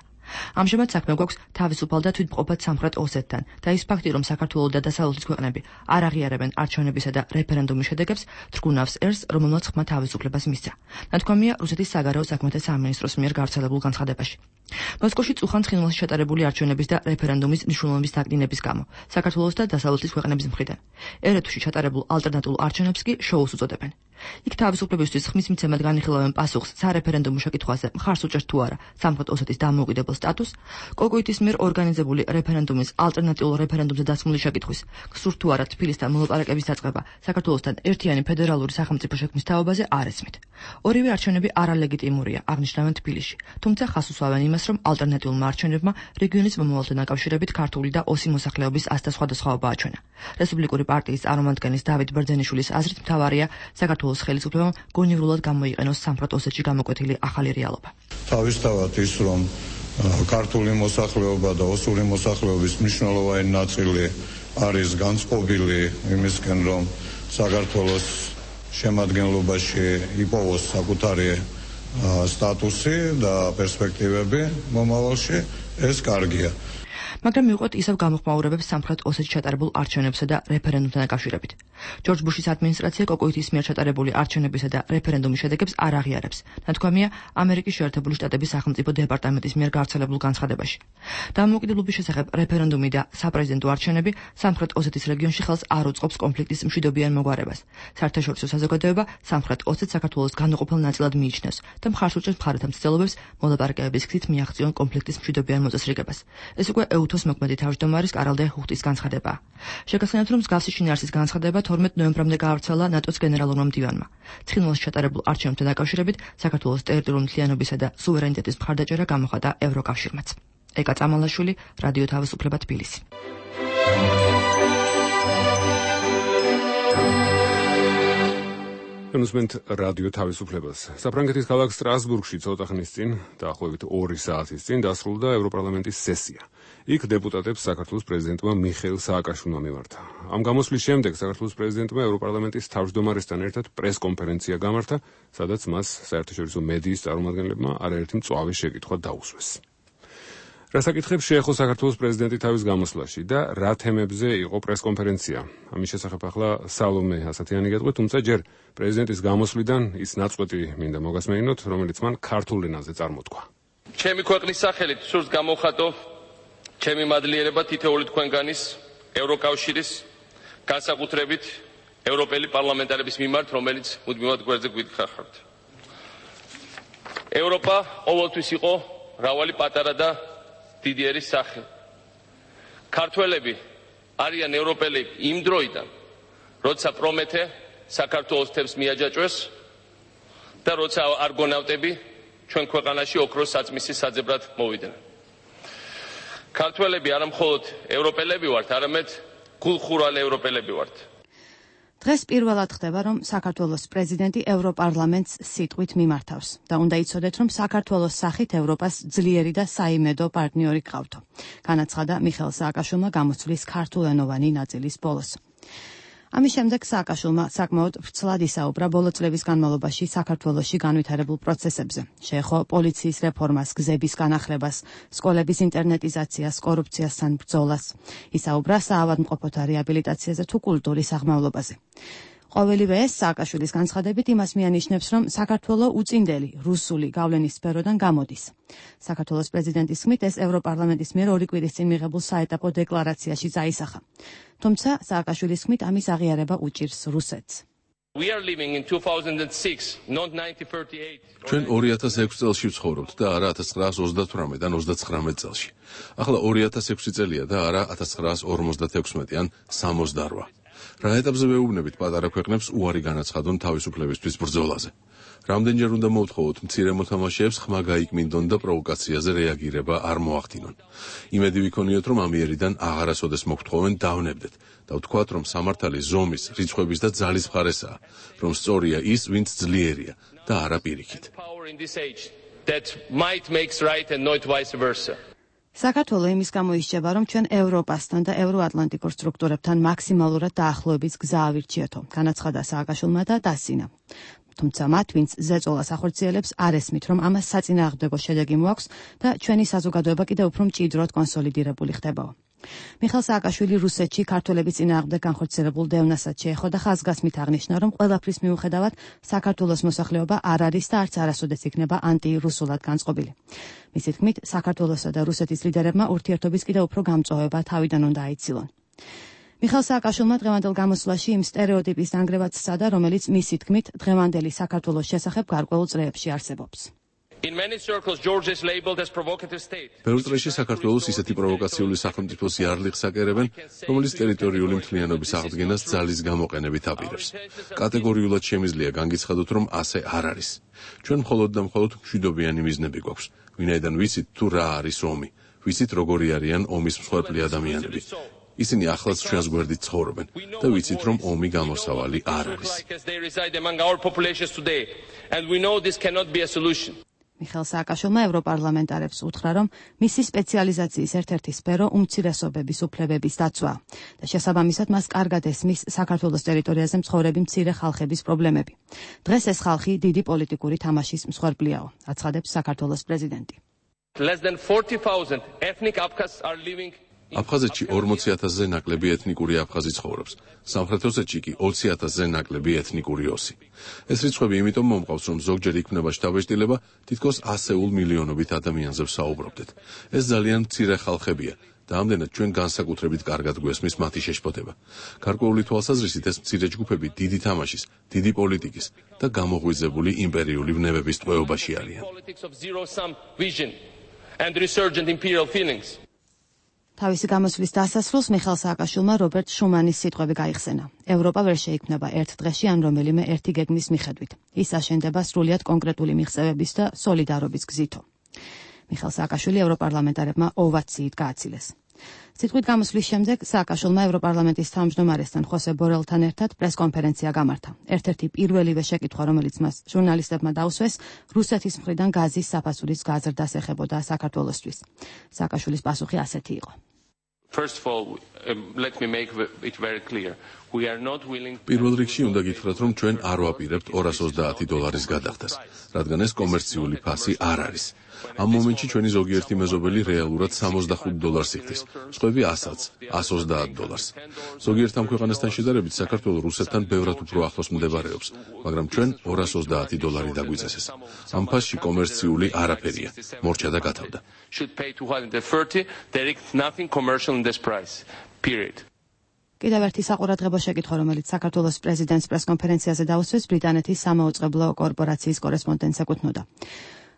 ამჟამად საქმე გვაქვს თავისუფალ და თვითმყოფად სამხრეთ ოსეთთან და ის ფაქტი, რომ საქართველო და დასავლეთის ქვეყნები არ აღიარებენ არჩევნებისა და რეფერენდუმის შედეგებს, თრგუნავს ერს, რომელმაც ხმა თავისუფლებას მისცა. ნათქვამია რუსეთის საგარეო საქმეთა სამინისტროს მიერ გავრცელებულ განცხადებაში. მოსკოვში წუხან ცხინვალში ჩატარებული არჩევნების და რეფერენდუმის მნიშვნელობის დაკნინების გამო საქართველოს და დასავლეთის ქვეყნების მხრიდან ერეთუში ჩატარებულ ალტერნატიულ არჩევნებს კი შოუს უწოდებენ. იქ თავისუფლებისთვის ხმის მიცემად განიხილავენ პასუხს სარეფერენდუმო შეკითხვაზე მხარს უჭერს თუ არა სამხრეთ ოსეთის დამოუკიდებელ სტატუსს, კოკოიტის მიერ ორგანიზებული რეფერენდუმის ალტერნატიულ რეფერენდუმზე დასმული შეკითხვის, გსურთ თუ არა თბილისთან მოლაპარაკების დაწყება საქართველოსთან ერთიანი ფედერალური სახელმწიფო შექმნის თაობაზე არ ესმით. ორივე არჩევნები არალეგიტიმურია, აღნიშნავენ თბილისში, თუმცა ხას უსვამენ იმას, რომ ალტერნატიულმა არჩევნებმა რეგიონის მომავალთან დაკავშირებით ქართული და ოსი მოსახლეობის აზრთა სხვადასხვაობა აჩვენა. რესპუბლიკური პარტიის წარმომადგენლის დავით ბერძენიშვილის აზრით მთავარია საქართველოს ხელისუფლებამ გონივრულად გამოიყენოს სამხრეთ ოსეთში გამოკვეთილი ახალი რეალობა. თავისთავად ის, რომ ქართული მოსახლეობა და ოსური მოსახლეობის მნიშვნელოვანი ნაწილი არის განწყობილი იმისკენ, რომ საქართველოს შემადგენლობაში იპოვოს საკუთარი სტატუსი და პერსპექტივები მომავალში, ეს კარგია. მაგრამ მიუყვეთ ისევ გამოხმაურებებს სამხრეთ ოსეთში ჩატარებულ არჩევნებსა და რეფერენდუმთან დაკავშირებით. ჯორჯ ბუშის ადმინისტრაცია კოკოიტის მიერ ჩატარებული არჩევნებისა და რეფერენდუმის შედეგებს არ აღიარებს. ნათქვამია ამერიკის შეერთებული შტატების სახელმწიფო დეპარტამენტის მიერ გავრცელებულ განცხადებაში. დამოუკიდებლობის შესახებ რეფერენდუმი და საპრეზიდენტო არჩევნები სამხრეთ ოსეთის რეგიონში ხელს არ უწყობს კონფლიქტის მშვიდობიან მოგვარებას. საერთაშორისო საზოგადოება სამხრეთ ოსეთს საქართველოს განუყოფელ ნაწილად მიიჩნევს და მხარს უჭერს მხარეთა მცდელობებს მოლაპარაკებების გზით მიაღწიონ კონფლიქტის მშვიდობიან მოწესრიგებას. ეს უკვე უთოს მოქმედი თავმჯდომარის კარალ ჰუხტის განცხადება. შეგახსენებთ, რომ მსგავსი შინაარსის განცხადება თორმეტ ნოემბრამდე გაავრცელა ნატოს გენერალურმა მდივანმა. ცხინვალში ჩატარებულ არჩევნებთან დაკავშირებით საქართველოს ტერიტორიული მთლიანობისა და სუვერენიტეტის მხარდაჭერა გამოხატა ევროკავშირმაც. ეკა წამალაშვილი, რადიო თავისუფლება, თბილისი. ემსმენთ რადიო თავისუფლებას. საფრანგეთის ქალაქ სტრასბურგში ცოტა ხნის წინ, დაახლოებით ორი საათის წინ დასრულდა ევროპარლამენტის სესია. იქ დეპუტატებს საქართველოს პრეზიდენტმა მიხეილ სააკაშვილმა მიმართა. ამ გამოსვლის შემდეგ საქართველოს პრეზიდენტმა ევროპარლამენტის თავმჯდომარესთან ერთად პრესკონფერენცია გამართა, სადაც მას საერთაშორისო მედიის წარმომადგენლებმა არაერთი მწვავე შეკითხვა დაუსვეს. რა საკითხებს შეეხო საქართველოს პრეზიდენტი თავის გამოსვლაში და რა თემებზე იყო პრესკონფერენცია? ამის შესახებ ახლა სალომე ასათიანი გეტყვით, თუმცა ჯერ პრეზიდენტის გამოსვლიდან ის ნაწყვეტი მინდა მოგასმენინოთ, რომელიც მან ქართულ ენაზე წარმოთქვა. ჩემი ქვეყნის სახელით სურს გამოვხატო ჩემი მადლიერება თითოეული თქვენგანის ევროკავშირის განსაკუთრებით ევროპელი პარლამენტარების მიმართ, რომელიც მუდმივად გვერდზე გვითხართ. ევროპა ყოველთვის იყო მრავალი პატარა და დიდი ერის სახე. ქართველები არიან ევროპელი იმ დროიდან, როცა პრომეთე საქართველოს თემს მიაჯაჭვეს და როცა არგონავტები ჩვენ ქვეყანაში ოქროს საწმისის საძებრად მოვიდნენ. ქართველები არა მხოლოდ ევროპელები ვართ, არამედ გულხურვალე ევროპელები ვართ. დღეს პირველად ხდება, რომ საქართველოს პრეზიდენტი ევროპარლამენტს სიტყვით მიმართავს და უნდა იცოდეთ, რომ საქართველოს სახით ევროპას ძლიერი და საიმედო პარტნიორი გყავთო. განაცხადა მიხეილ სააკაშვილმა გამოსვლის ქართულენოვანი ნაწილის ბოლოს. ამის შემდეგ სააკაშვილმა საკმაოდ ვრცლად ისაუბრა ბოლო წლების განმავლობაში საქართველოში განვითარებულ პროცესებზე. შეეხო პოლიციის რეფორმას, გზების განახლებას, სკოლების ინტერნეტიზაციას, კორუფციასთან ბრძოლას. ისაუბრა საავადმყოფოთა რეაბილიტაციაზე თუ კულტურის აღმავლობაზე. ყოველივე ეს სააკაშვილის განცხადებით იმას მიანიშნებს, რომ საქართველო უწინდელი რუსული გავლენის სფეროდან გამოდის. საქართველოს პრეზიდენტის ხმით ეს ევროპარლამენტის მიერ ორი კვირის წინ მიღებულ საეტაპო დეკლარაციაში წაისახა. თუმცა სააკაშვილის ხმით ამის აღიარება უჭირს რუსეთს. ჩვენ ორი ათას ექვსი წელში ვცხოვრობთ და არა ათას ცხრაას ოცდათვრამეტ ან ოცდაცხრამეტ წელში. ახლა ორი ათას ექვსი წელია და არა ათას ცხრაას ორმოცდათექვსმეტი ან სამოცდარვა. რა ეტაპზე ვეუბნებით პატარა ქვეყნებს უარი განაცხადონ თავისუფლებისთვის ბრძოლაზე. რამდენჯერ უნდა მოვთხოვოთ მცირე მოთამაშეებს ხმა გაიკმინდონ და პროვოკაციაზე რეაგირება არ მოახდინონ. იმედი ვიქონიოთ, რომ ამიერიდან აღარასოდეს მოგთხოვენ დავნებდეთ და ვთქვათ, რომ სამართალი ზომის, რიცხვების და ძალის მხარესაა, რომ სწორია ის, ვინც ძლიერია და არა პირიქით. საქართველო იმის გამო ისჯება, რომ ჩვენ ევროპასთან და ევროატლანტიკურ სტრუქტურებთან მაქსიმალურად დაახლოების გზა ავირჩიეთო. განაცხადა სააკაშვილმა და დასცინა. თუმცა მათ, ვინც ზეწოლას ახორციელებს, არ ესმით, რომ ამას საწინააღმდეგო შედეგი მოაქვს და ჩვენი საზოგადოება კიდევ უფრო მჭიდროდ კონსოლიდირებული ხდებაო. მიხეილ სააკაშვილი რუსეთში ქართველების წინააღმდეგ განხორციელებულ დევნასაც შეეხო და ხაზგასმით აღნიშნა, რომ ყველაფრის მიუხედავად საქართველოს მოსახლეობა არ არის და არც არასოდეს იქნება ანტირუსულად განწყობილი. მისი თქმით, საქართველოსა და რუსეთის ლიდერებმა ურთიერთობის კიდევ უფრო გამწვავება თავიდან უნდა აიცილონ. მიხეილ სააკაშვილმა დღევანდელ გამოსვლაში იმ სტერეოტიპის დანგრევაც სცადა, რომელიც მისი თქმით დღევანდელი საქართველოს შესახებ გარკვეულ წრეებში არსებობს. In many circles, Georgia is labeled as provocative state. ბევრ წრეში საქართველოს ისეთი პროვოკაციული სახელმწიფოს იარლიხს აკერებენ, რომელიც ტერიტორიული მთლიანობის აღდგენას ძალის გამოყენებით აპირებს. კატეგორიულად შემიძლია განგიცხადოთ, რომ ასე არ არის. ჩვენ მხოლოდ და მხოლოდ მშვიდობიანი მიზნები გვაქვს. ვინაიდან ვიცით თუ რა არის ომი, ვიცით როგორი არიან ომის მსხვერპლი ადამიანები. ისინი ახლაც ჩვენს გვერდით ცხოვრობენ და ვიცით, რომ ომი გამოსავალი არ არის. მიხეილ სააკაშვილმა ევროპარლამენტარებს უთხრა, რომ მისი სპეციალიზაციის ერთ-ერთი სფერო უმცირესობების უფლებების დაცვაა და შესაბამისად მას კარგად ესმის საქართველოს ტერიტორიაზე მცხოვრები მცირე ხალხების პრობლემები. დღეს ეს ხალხი დიდი პოლიტიკური თამაშის მსხვერპლიაო, აცხადებს საქართველოს პრეზიდენტი. Less than forty thousand ethnic Abkhazs are living აფხაზეთში ორმოცი ათასზე ნაკლები ეთნიკური აფხაზი ცხოვრობს. სამხრეთ ოსეთში კი ოცი ათასზე ნაკლები ეთნიკური ოსი. ეს რიცხვები იმიტომ მომყავს, რომ ზოგჯერ იქმნება შთაბეჭდილება, თითქოს ასეულ მილიონობით ადამიანზე ვსაუბრობდეთ. ეს ძალიან მცირე ხალხებია და ამდენად ჩვენ განსაკუთრებით კარგად გვესმის მათი შეშფოთება. გარკვეული თვალსაზრისით ეს მცირე ჯგუფები დიდი თამაშის, დიდი პოლიტიკის და გამოღვიძებული იმპერიული ვნებების ტყვეობაში არიან. თავისი გამოსვლის დასასრულს მიხეილ სააკაშვილმა რობერტ შუმანის სიტყვები გაიხსენა. ევროპა ვერ შეიქმნება ერთ დღეში ან რომელიმე ერთი გეგმის მიხედვით. ის აშენდება სრულიად კონკრეტული მიღწევების და სოლიდარობის გზითო. მიხეილ სააკაშვილი ევროპარლამენტარებმა ოვაციით გააცილეს. სიტყვით გამოსვლის შემდეგ სააკაშვილმა ევროპარლამენტის თავმჯდომარესთან ხოსე ბორელთან ერთად პრესკონფერენცია გამართა. ერთ-ერთი პირველივე შეკითხვა, რომელიც მას ჟურნალისტებმა დაუსვეს, რუსეთის მხრიდან გაზის საფასურის გაზრდას ეხებოდა საქართველოსთვის. სააკაშვილის პასუხი ასეთი იყო. First of all, um, let me make it very clear. We are not willing პირველ რიგში უნდა გითხრათ, რომ ჩვენ არ ვაპირებთ ორას ოცდაათი დოლარის გადახდას, რადგან ეს კომერციული ფასი არ არის. ამ მომენტში ჩვენი ზოგიერთი მეზობელი რეალურად სამოცდახუთ დოლარს იხდის, სხვები ასაც, ასს ოცდაათ დოლარს. ზოგიერთ ამ ქვეყანასთან შედარებით საქართველო რუსეთთან ბევრად უფრო ახლოს მდებარეობს, მაგრამ ჩვენ ორას ოცდაათი დოლარი დაგვიწესეს. ამ ფასში კომერციული არაფერია, მორჩა და გათავდა. კიდევ ერთი საყურადღებო შეკითხვა, რომელიც საქართველოს პრეზიდენტს პრესკონფერენციაზე დაუსვეს, ბრიტანეთის სამაუწყებლო კორპორაციის კორესპონდენტს ეკუთვნოდა.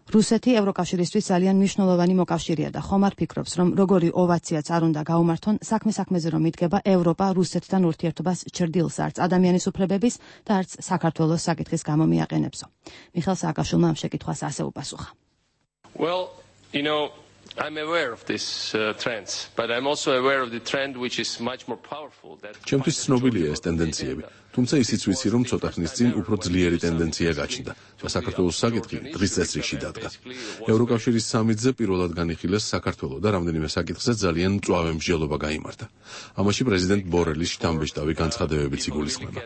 რუსეთი ევროკავშირისთვის ძალიან მნიშვნელოვანი მოკავშირეა და ხომ არ ფიქრობს, რომ როგორი ოვაციაც არ უნდა გაუმართონ, საქმე საქმეზე რომ იდგება ევროპა რუსეთთან ურთიერთობას ჭრდილს არც ადამიანის უფლებების და არც საქართველოს საკითხის გამო მიაყენებსო. მიხეილ სააკაშვილმა ამ შეკითხვას ასე უპასუხა. Well, you know, I'm aware of this uh, trends, but I'm also aware of the trend which is much more powerful that ჩემთვის ცნობილია ეს ტენდენციები, თუმცა ისიც ვიცი, რომ ცოტა ხნის წინ უფრო ძლიერი ტენდენცია გაჩნდა და საქართველოს საკითხი დღის წესრიგში დადგა. ევროკავშირის სამიტზე პირველად განიხილეს საქართველო და რამდენიმე საკითხზე ძალიან მწვავე მსჯელობა გაიმართა. ამაში პრეზიდენტ ბორელის შთამბეჭდავი განცხადებებიც იგულისხმება.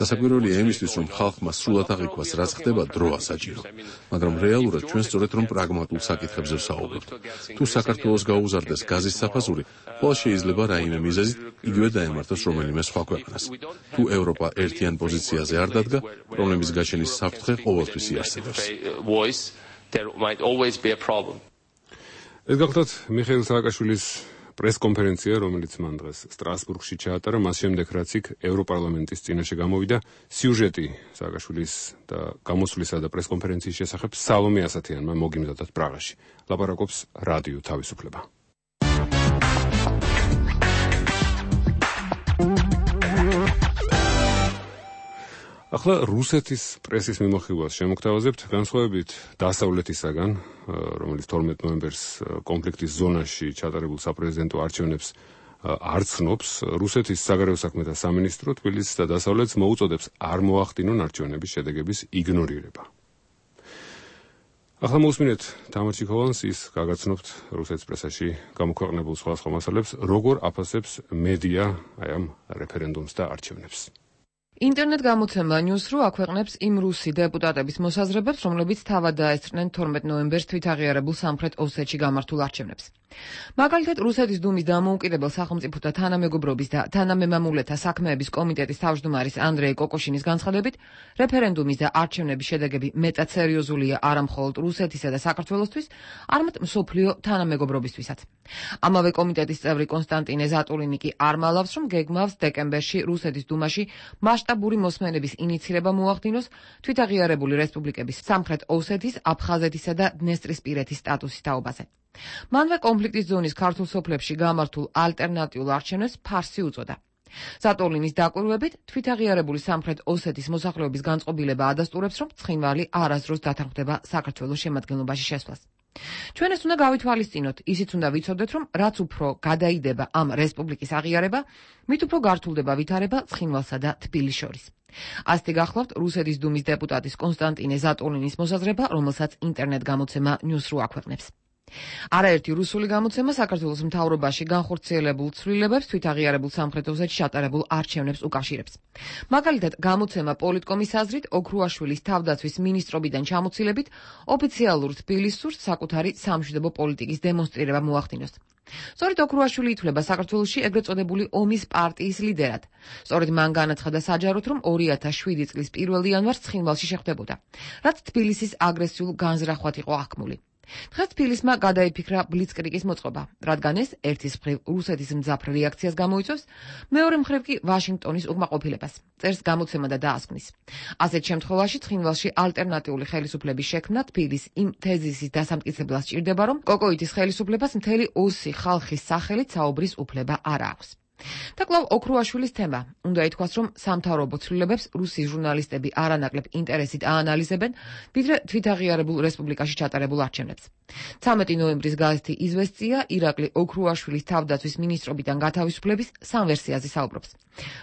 დასაკვირველია იმისთვის, რომ ხალხმა სრულად აღიქვას, რაც ხდება, დროა საჭირო. მაგრამ რეალურად ჩვენ სწორედ რომ პრაგმატულ საკითხებზე ვსაუბრობთ. თუ საქართველოს გაუზარდეს გაზის საფასური, ყოველ შეიძლება რაიმე მიზეზით იგივე დაემართოს რომელიმე სხვა ქვეყანას. თუ ევროპა ერთიან პოზიციაზე არ დადგა, პრობლემის გაჩენის საფრთხე ყოველთვის იარსებებს. ეს გახლავთ მიხეილ სააკაშვილის პრესკონფერენცია, რომელიც მან დღეს სტრასბურგში ჩაატარა, მას შემდეგ რაც იქ ევროპარლამენტის წინაშე გამოვიდა სიუჟეტი სააკაშვილის და გამოსვლისა და პრესკონფერენციის შესახებ სალომე ასათიანმა მოგიმზადათ პრაღაში. ლაპარაკობს რადიო თავისუფლება. ახლა რუსეთის პრესის მიმოხილვას შემოგთავაზებთ, განსხვავებით დასავლეთისაგან, რომელიც თორმეტ ნოემბერს კონფლიქტის ზონაში ჩატარებულ საპრეზიდენტო არჩევნებს არ ცნობს, რუსეთის საგარეო საქმეთა სამინისტრო თბილისს და დასავლეთს მოუწოდებს არ მოახდინონ არჩევნების შედეგების იგნორირება. ახლა მოусმინეთ თამარ ჩიქოვანს, ის გაგაცნობთ რუსეთის პრესაში გამოქვეყნებულ სხვადასხვა მასალებს, როგორ აფასებს მედია აი ამ რეფერენდუმს და არჩევნებს. ინტერნეტ გამოცემა News.ru აქვეყნებს იმ რუსი დეპუტატების მოსაზრებებს, რომლებიც თავად დაესწრნენ თორმეტ ნოემბერს თვითაღიარებულ სამხრეთ ოსეთში გამართულ არჩევნებს. მაგალითად, რუსეთის დუმის დამოუკიდებელ სახელმწიფოთა თანამეგობრობის და თანამემამულეთა საქმეების კომიტეტის თავმჯდომარის ანდრეი კოკოშინის განცხადებით, რეფერენდუმის და არჩევნების შედეგები მეტად სერიოზულია არა მხოლოდ რუსეთისა და საქართველოსთვის, არამედ მსოფლიო თანამეგობრობისთვისაც. ამავე კომიტეტის წევრი კონსტანტინე ზატულინი კი არ მალავს, რომ გეგმავს დეკემბერში რუსეთის დუმაში მასშტაბური მოსმენების ინიცირება მოახდინოს თვითაღიარებული რესპუბლიკების სამხრეთ ოსეთის, აფხაზეთისა და დნესტრისპირეთის სტატუსის თაობაზე. მანვე კონფლიქტის ზონის ქართულ სოფლებში გამართულ ალტერნატიულ არჩევნებს ფარსი უწოდა. ზატულინის დაკვირვებით, თვითაღიარებული სამხრეთ ოსეთის მოსახლეობის განწყობილება ადასტურებს, რომ ცხინვალი არასდროს დათანხმდება საქართველოს შემადგენლობაში შესვლას. ჩვენ ეს უნდა გავითვალისწინოთ, ისიც უნდა ვიცოდეთ, რომ რაც უფრო გადაიდება ამ რესპუბლიკის აღიარება, მით უფრო გართულდება ვითარება ცხინვალსა და თბილისს შორის. ასეთი გახლავთ რუსეთის დუმის დეპუტატის კონსტანტინე ზატულინის მოსაზრება, რომელსაც ინტერნეტ გამოცემა News.ru აქვეყნებს. არაერთი რუსული გამოცემა საქართველოს მთავრობაში განხორციელებულ ცვლილებებს თვითაღიარებულ სამხრეთ ოსეთში ჩატარებულ არჩევნებს უკავშირებს. მაგალითად, გამოცემა პოლიტკომის აზრით, ოქრუაშვილის თავდაცვის მინისტრობიდან ჩამოცილებით ოფიციალურ თბილისს სურს საკუთარი სამშვიდობო პოლიტიკის დემონსტრირება მოახდინოს. სწორედ ოქრუაშვილი ითვლება საქართველოში ეგრეთ წოდებული ომის პარტიის ლიდერად. სწორედ მან განაცხადა საჯაროდ, რომ ორი ათას შვიდი წლის პირველ იანვარს ცხინვალში შეხვდებოდა, რაც თბილისის აგრესიულ განზრახვად იყო აღქმული. დღეს თბილისმა გადაიფიქრა ბლიცკრიგის მოწყობა, რადგან ეს ერთის მხრივ რუსეთის მძაფრ რეაქციას გამოიწვევს, მეორე მხრივ კი ვაშინგტონის უკმაყოფილებას, წერს გამოცემა და დაასკვნის. ასეთ შემთხვევაში ცხინვალში ალტერნატიული ხელისუფლების შექმნა თბილის იმ თეზისის დასამტკიცებლად სჭირდება, რომ კოკოიძის ხელისუფლებას მთელი ოსი ხალხის სახელით საუბრის უფლება არ აქვს. და კვლავ ოქრუაშვილის თემა. უნდა ითქვას, რომ სამთავრობო ცვლილებებს რუსი ჟურნალისტები არანაკლებ ინტერესით აანალიზებენ, ვიდრე თვითაღიარებულ რესპუბლიკაში ჩატარებულ არჩევნებს. ცამეტი ნოემბრის გაზეთი იზვესტია ირაკლი ოქრუაშვილის თავდაცვის მინისტრობიდან გათავისუფლების სამ ვერსიაზე საუბრობს.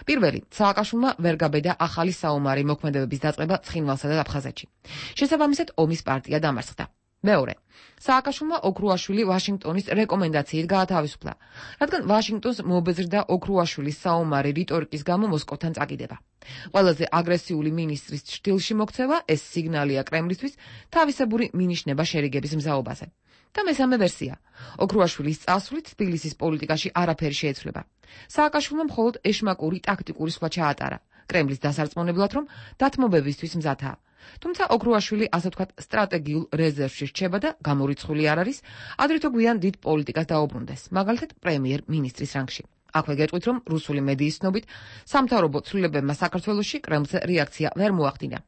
პირველი, სააკაშვილმა ვერ გაბედა ახალი საომარი მოქმედებების დაწყება ცხინვალსა და აფხაზეთში. შესაბამისად, ომის პარტია დამარცხდა. მეორე, სააკაშვილმა ოქრუაშვილი ვაშინგტონის რეკომენდაციით გაათავისუფლა, რადგან ვაშინგტონს მობეზრდა ოქრუაშვილის საომარი რიტორიკის გამო მოსკოვთან წაკიდება. ყველაზე აგრესიული მინისტრის ჩრდილში მოქცევა ეს სიგნალია კრემლისთვის თავისებური მინიშნება შერიგების მზაობაზე. და მესამე ვერსია. ოქრუაშვილის წასვლით თბილისის პოლიტიკაში არაფერი შეეცვლება. სააკაშვილმა მხოლოდ ეშმაკური ტაქტიკური სხვა ჩაატარა, კრემლის დასარწმუნებლად, რომ დათმობებისთვის მზადაა. თუმცა ოქრუაშვილი ასე ვთქვათ სტრატეგიულ რეზერვში რჩება და გამორიცხული არ არის, ადრე თუ გვიან დიდ პოლიტიკას დაუბრუნდეს, მაგალითად პრემიერ-მინისტრის რანგში. აქვე გეტყვით, რომ რუსული მედიის ცნობით სამთავრობო ცვლილებებმა საქართველოში კრემლზე რეაქცია ვერ მოახდინა.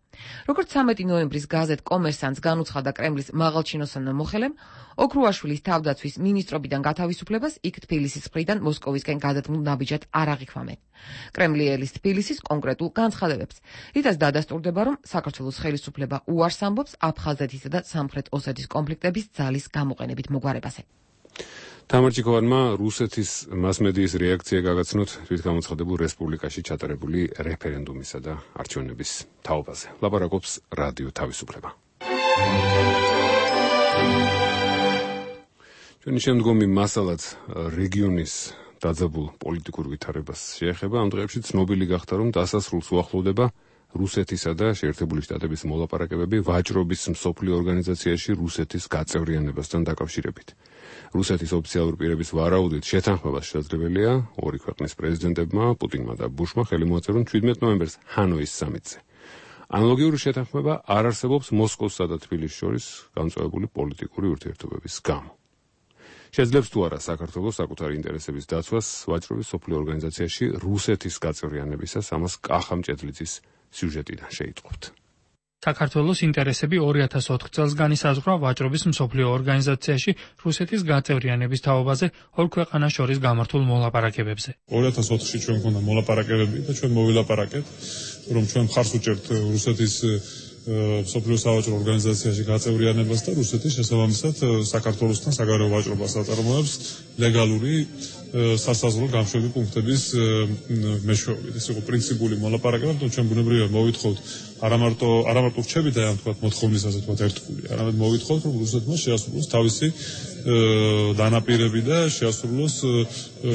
როგორც ცამეტი ნოემბრის გაზეთ კომერსანტს განუცხადა კრემლის მაღალჩინოსანო მოხელემ, ოქრუაშვილის თავდაცვის მინისტრობიდან გათავისუფლებას იქ თბილისის მხრიდან მოსკოვისკენ გადადგმულ ნაბიჯად არ აღიქვამენ. კრემლი ელის თბილისის კონკრეტულ განცხადებებს, რითაც დადასტურდება, რომ საქართველოს ხელისუფლება უარს ამბობს აფხაზეთისა და სამხრეთ ოსეთის კონფლიქტების ძალის გამოყენებით მოგვარებაზე. თამარჯიკოვანმა რუსეთის მასმედიის რეაქცია გაგაცნოთ თვითგამოცხადებულ რესპუბლიკაში ჩატარებული რეფერენდუმისა და არჩევნების თაობაზე. ლაპარაკობს რადიო თავისუფლება. ჩვენი შემდგომი მასალაც რეგიონის დაძაბულ პოლიტიკურ ვითარებას შეეხება. ამ დღეებში ცნობილი გახდა, რომ დასასრულს უახლოვდება რუსეთისა და შეერთებული შტატების მოლაპარაკებები ვაჭრობის მსოფლიო ორგანიზაციაში რუსეთის გაწევრიანებასთან დაკავშირებით. რუსეთის ოფიციალური პირების ვარაუდით შეთანხმებას შესაძლებელია ორი ქვეყნის პრეზიდენტებმა, პუტინმა და ბუშმა ხელი მოაწერონ შვიდმეტ ნოემბერს ჰანოის სამიტზე. ანალოგიური შეთანხმება არ არსებობს მოსკოვსა და თბილისის შორის განწყვეტებული პოლიტიკური ურთიერთობების გამო. შეძლებს თუ არა საქართველოს საკუთარი ინტერესების დაცვას ვაჭრობის მსოფლიო ორგანიზაციაში რუსეთის გაწევრიანებისას, ამას კახა მჭედლიძის სიუჟეტიდან შეიტყობთ. საქართველოს ინტერესები ორი ათას ოთხ წელს განისაზღვრა ვაჭრობის მსოფლიო ორგანიზაციაში რუსეთის გაწევრიანების თაობაზე ორ ქვეყანას შორის გამართულ მოლაპარაკებებზე. ორი ათას ოთხში ჩვენ მქონდა მოლაპარაკებები და ჩვენ მოვილაპარაკეთ, რომ ჩვენ მხარს უჭერთ რუსეთის მსოფლიო სავაჭრო ორგანიზაციაში გაწევრიანებას და რუსეთის შესაბამისად საქართველოსთან საგარეო ვაჭრობას აწარმოებს ლეგალური სასაზღვრო გამშვები პუნქტების მეშვეობით. ეს იყო პრინციპული მოლაპარაკება, თუმცა ჩვენ ბუნებრივია მოვითხოვთ არა მარტო არა მარტო რჩებით და ამ თქვა მოთხოვნის ასე თქვა ერთგული, არამედ მოვითხოვთ რომ რუსეთმა შეასრულოს თავისი დანაპირები და შეასრულოს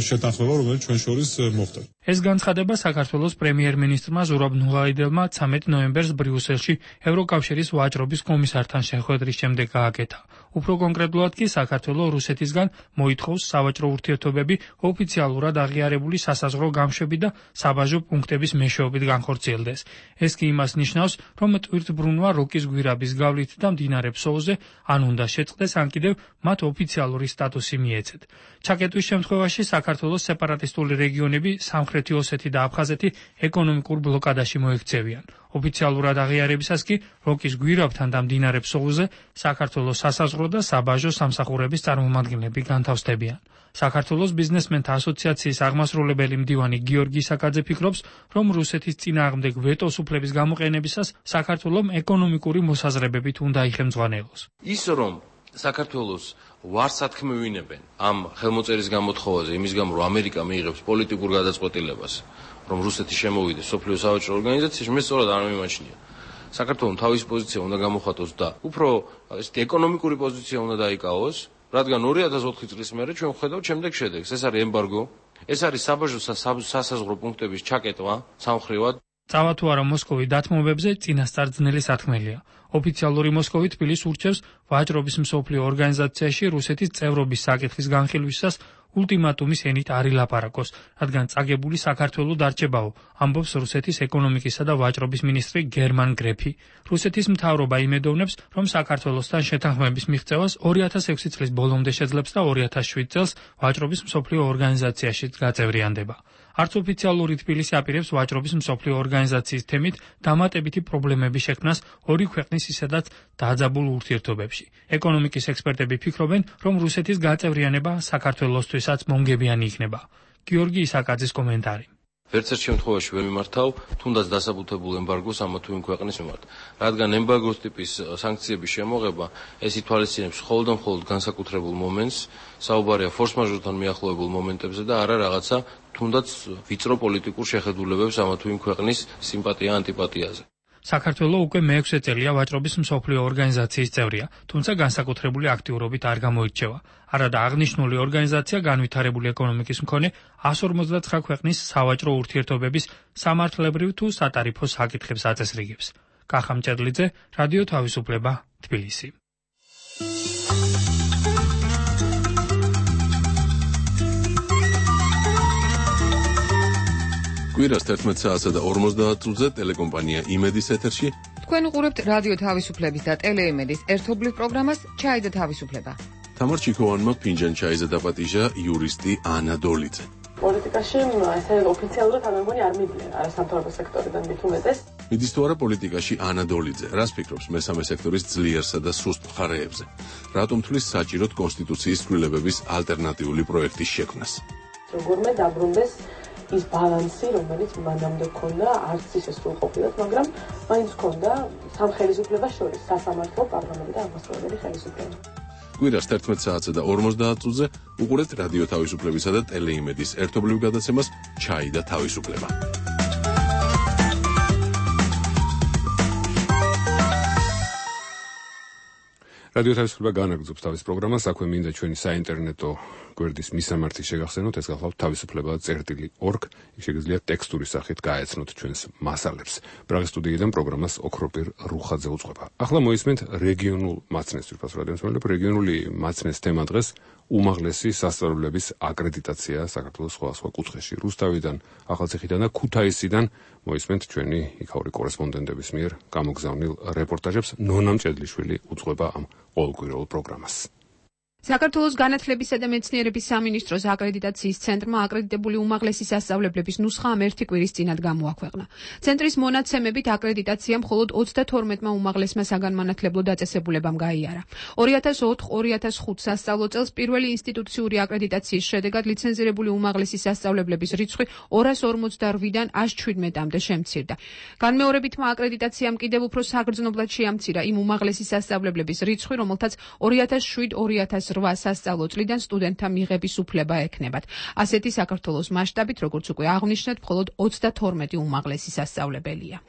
შეთანხმება, რომელიც ჩვენ შორის მოხდა. ეს განცხადება საქართველოს პრემიერ-მინისტრმა ზურაბ ნუღაიდელმა ცამეტი ნოემბერს ბრიუსელში ევროკავშირის ვაჭრობის კომისართან შეხვედრის შემდეგ გააკეთა. უფრო კონკრეტულად კი საქართველოს რუსეთისგან მოითხოვს სავაჭრო ურთიერთობები ოფიციალურად აღიარებული სასაზღვრო გამშვები და საბაჟო პუნქტების მეშვეობით განხორციელდეს. ეს კი იმას ნიშნავს, რომ ტვირთბრუნვა როკის გვირაბის გავლით და მდინარე ფსოუზე ან უნდა შეწყდეს, ან კიდევ მათ ოფიციალური სტატუსი მიეცეთ. ჩაკეტვის შემთხვევაში საქართველოს სეპარატისტული რეგიონები სამხრეთი ოსეთი და აფხაზეთი ეკონომიკურ ბლოკადაში მოექცევიან. ოფიციალურად აღიარებისას კი როკის გვირაბთან და მდინარე ფსოუზე საქართველოს სასაზღვრო და საბაჟო სამსახურების წარმომადგენლები განთავსდებიან. საქართველოს ბიზნესმენთა ასოციაციის აღმასრულებელი მდივანი გიორგი საკაძე ფიქრობს, რომ რუსეთის წინააღმდეგ ვეტოს უფლების გამოყენებისას საქართველოს ეკონომიკური მოსაზრებებით უნდა იხელმძღვანელოს. ის რომ საქართველოს ვარსათქმევინებენ ამ ხელმოწერის გამოთხოვაზე, იმის გამო რომ ამერიკა მიიღებს პოლიტიკურ გადაწყვეტილებას, რომ რუსეთი შემოვიდეს სოფლიო სავაჭრო ორგანიზაციაში, მე სწორად არ მიმაჩნია. საქართველოს თავის პოზიცია უნდა გამოხატოს და უფრო ესეთი ეკონომიკური პოზიცია უნდა დაიკავოს, რადგან ორი ათას ოთხი წლის მერე ჩვენ ვხედავთ შემდეგ შედეგს. ეს არის ემბარგო, ეს არის საბაჟო სასაზღვრო პუნქტების ჩაკეტვა სამხრივად. წავა თუ არა მოსკოვი დათმობებზე წინასწარ ძნელი სათქმელია. ოფიციალური მოსკოვი თბილისს ურჩევს ვაჭრობის მსოფლიო ორგანიზაციაში რუსეთის წევრობის საკითხის განხილვისას ულტიმატუმის ენით არ ილაპარაკოს, რადგან წაგებული საქართველოს დარჩებაო, ამბობს რუსეთის ეკონომიკისა და ვაჭრობის მინისტრი გერმან გრეფი. რუსეთის მთავრობა იმედოვნებს, რომ საქართველოსთან შეთანხმების მიღწევას ორი ათას ექვსი წლის ბოლომდე შეძლებს და ორი ათას შვიდ წელს ვაჭრობის მსოფლიო ორგანიზაციაშიც გაწევრიანდება. არც ოფიციალური თბილისი აპირებს ვაჭრობის მსოფლიო ორგანიზაციის თემით დამატებითი პრობლემების შექმნას ორი ქვეყნის ისედაც დაძაბულ ურთიერთობებში. ეკონომიკის ექსპერტები ფიქრობენ, რომ რუსეთის გაწევრიანება საქართველოსთვისაც მომგებიანი იქნება. გიორგი ისაკაძის კომენტარი. ვერც ერთ შემთხვევაში ვერ მიმართავ თუნდაც დასაბუთებულ ემბარგოს ამა თუ იმ ქვეყნის მიმართ, რადგან ემბარგოს ტიპის სანქციების შემოღება ეს ითვალისწინებს მხოლოდ და მხოლოდ განსაკუთრებულ მომენტს, საუბარია ფორს-მაჟორთან მიახლოებულ მომენტებზე და არა რაღაცა თუნდაც ვიწრო პოლიტიკურ შეხედულებებს ამა თუ იმ ქვეყნის სიმპათია-ანტიპათიაზე. საქართველოს უკვე მეექვსე წელია ვაჭრობის მსოფლიო ორგანიზაციის წევრია, თუმცა განსაკუთრებული აქტიურობით არ გამოირჩევა. არადა აღნიშნული ორგანიზაცია განვითარებული ეკონომიკის მქონე εκατს ორმოცდათხრა ქვეყნის სავაჭრო ურთიერთობების სამართლებრივ თუ სატარიფო საკითხებს აწესრიგებს. კახა მჭედლიძე, რადიო თავისუფლება, თბილისი. კვირას თერთმეტ საათსა და ორმოცდაათ წუთზე ტელეკომპანია იმედის ეთერში. თქვენ უყურებთ რადიო თავისუფლების და ტელეიმედის ერთობლივ პროგრამას ჩაი და თავისუფლება. თამარ ჩიქოვანმა ფინჯან ჩაიზე დაპატიჟა იურისტი ანა დოლიძე. პოლიტიკაში ესე ოფიციალურად არ მეგონი არ მიდიან არასამთავრობო სექტორიდან მით უმეტეს. მიდის თუ არა პოლიტიკაში ანა დოლიძე, რას ფიქრობს მესამე სექტორის ძლიერსა და სუსტ მხარეებზე? რატომ თვლის საჭიროდ კონსტიტუციის ცვლილებების ალტერნატიული პროექტის შექმნას? როგორმე დაბრუნდეს ის ბალანსი, რომელიც მანამდე ჰქონდა, არც ისე სრულყოფილად, მაგრამ მაინც ჰქონდა სამხელისუფლებას შორის სასამართლო, პარლამენტი და აღმასრულებელი ხელისუფლება. კვირას თერთმეტ საათსა და ორმოცდაათ წუთზე უყურებთ რადიო თავისუფლებისა და ტელეიმედის ერთობლივ გადაცემას ჩაი და თავისუფლება. რადიო თავისუფლება განაგრძობს თავის პროგრამას, აქვე მინდა ჩვენი საინტერნეტო გვერდის მისამართი შეგახსენოთ, ეს გახლავთ თავისუფლება წერტილი ორგ, შეგიძლიათ ტექსტური სახით გაეცნოთ ჩვენს მასალებს. პრაღის სტუდიიდან პროგრამას ოქროპირ რუხაძე უწყება. ახლა მოისმენთ რეგიონულ მაცნეს, თვითონ რადიომსმენელებ, რეგიონული მაცნეს თემა დღეს უმაღლესი სასწავლებლების აკრედიტაცია საქართველოს სხვადასხვა კუთხეში. რუსთავიდან, ახალციხიდან და ქუთაისიდან მოისმენთ ჩვენი იქაური კორესპონდენტების მიერ გამოგზავნილ რეპორტაჟებს. ნონა მჭედლიშვილი უწყება ამ ყოველკვირეულ პროგრამას. საქართველოს განათლებისა და მეცნიერების სამინისტროს აკრედიტაციის ცენტრმა აკრედიტებული უმაღლესი სასწავლებლების ნუსხა ამ ერთი კვირის წინათ გამოაქვეყნა. ცენტრის მონაცემებით აკრედიტაცია მხოლოდ ოცდათორმეტმა უმაღლესმა საგანმანათლებლო დაწესებულებამ გაიარა. ორი ათას ოთხ ორი ათას ხუთ სასწავლო წელს პირველი ინსტიტუციური აკრედიტაციის შედეგად ლიცენზირებული უმაღლესი სასწავლებლების რიცხვი ორას ორმოცდაშვიდიდან ას ჩვიდმეტამდე შემცირდა. განმეორებითმა აკრედიტაციამ კიდევ უფრო საგრძნობლად შეამცირა იმ უმაღლესი სასწავლებლების რიცხვი, რომელთაც ორი ათას შვიდ ორი ათას რვა სასწავლო წლიდან სტუდენტთა მიღების უფლება ექნებათ. ასეთი საქართველოს მასშტაბით, როგორც უკვე აღნიშნეთ, მხოლოდ ოცდათორმეტი უმაღლესი სასწავლებელია.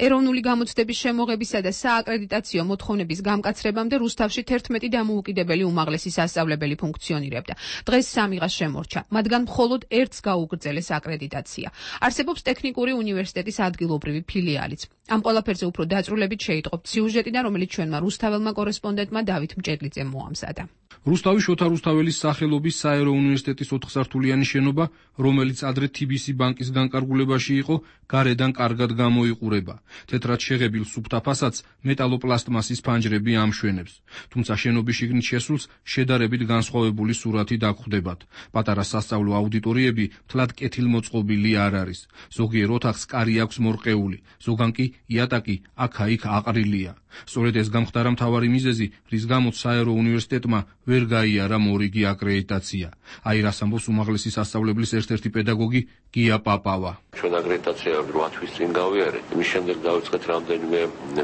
ეროვნული გამოცდების შემოღებისა და სააკრედიტაციო მოთხოვნების გამკაცრებამდე რუსთავში თერთმეტი დამოუკიდებელი უმაღლესი სასწავლებელი ფუნქციონირებდა. დღეს სამიღა შემორჩა, მათგან მხოლოდ ერთს გაუგრძელეს აკრედიტაცია. არსებობს ტექნიკური უნივერსიტეტის ადგილობრივი ფილიალიც. ამ ყველაფერზე უფრო დაწვრილებით შეიტყობთ სიუჟეტიდან, რომელიც ჩვენმა რუსთაველმა კორესპონდენტმა დავით მჭედლიძემ მოამზადა. რუსთავი შოთა რუსთაველის სახელობის საერო უნივერსიტეტის ოთხსართულიანი შენობა, რომელიც ადრე თი ბი სი ბანკის განკარგულებაში იყო, გარედან კარგად გამოიყურება. თეთრად შეღებილ სუფთა ფასადს მეტალოპლასტმასის ფანჯრები ამშვენებს. თუმცა შენობის შიგნით შესულს შედარებით განსხვავებული სურათი დაგხვდებათ. პატარა სასწავლო აუდიტორიები მთლად კეთილმოწყობილი არ არის. ზოგიერთ ოთახს კარი აქვს მორყეული, ზოგან კი იატაკი აქა-იქ აყრილია. სწორედ ეს გამხდარა მთავარი მიზეზი, რის გამოც საერო უნივერსიტეტმა ვერ გაიარა მორიგი აკრედიტაცია. აი რას ამბობს უმაღლესი სასწავლებლის ერთ-ერთი პედაგოგი გია პაპავა. ჩვენ აკრედიტაცია რვა თვის წინ გავიარეთ. იმის შემდეგ დავიწყეთ რამდენიმე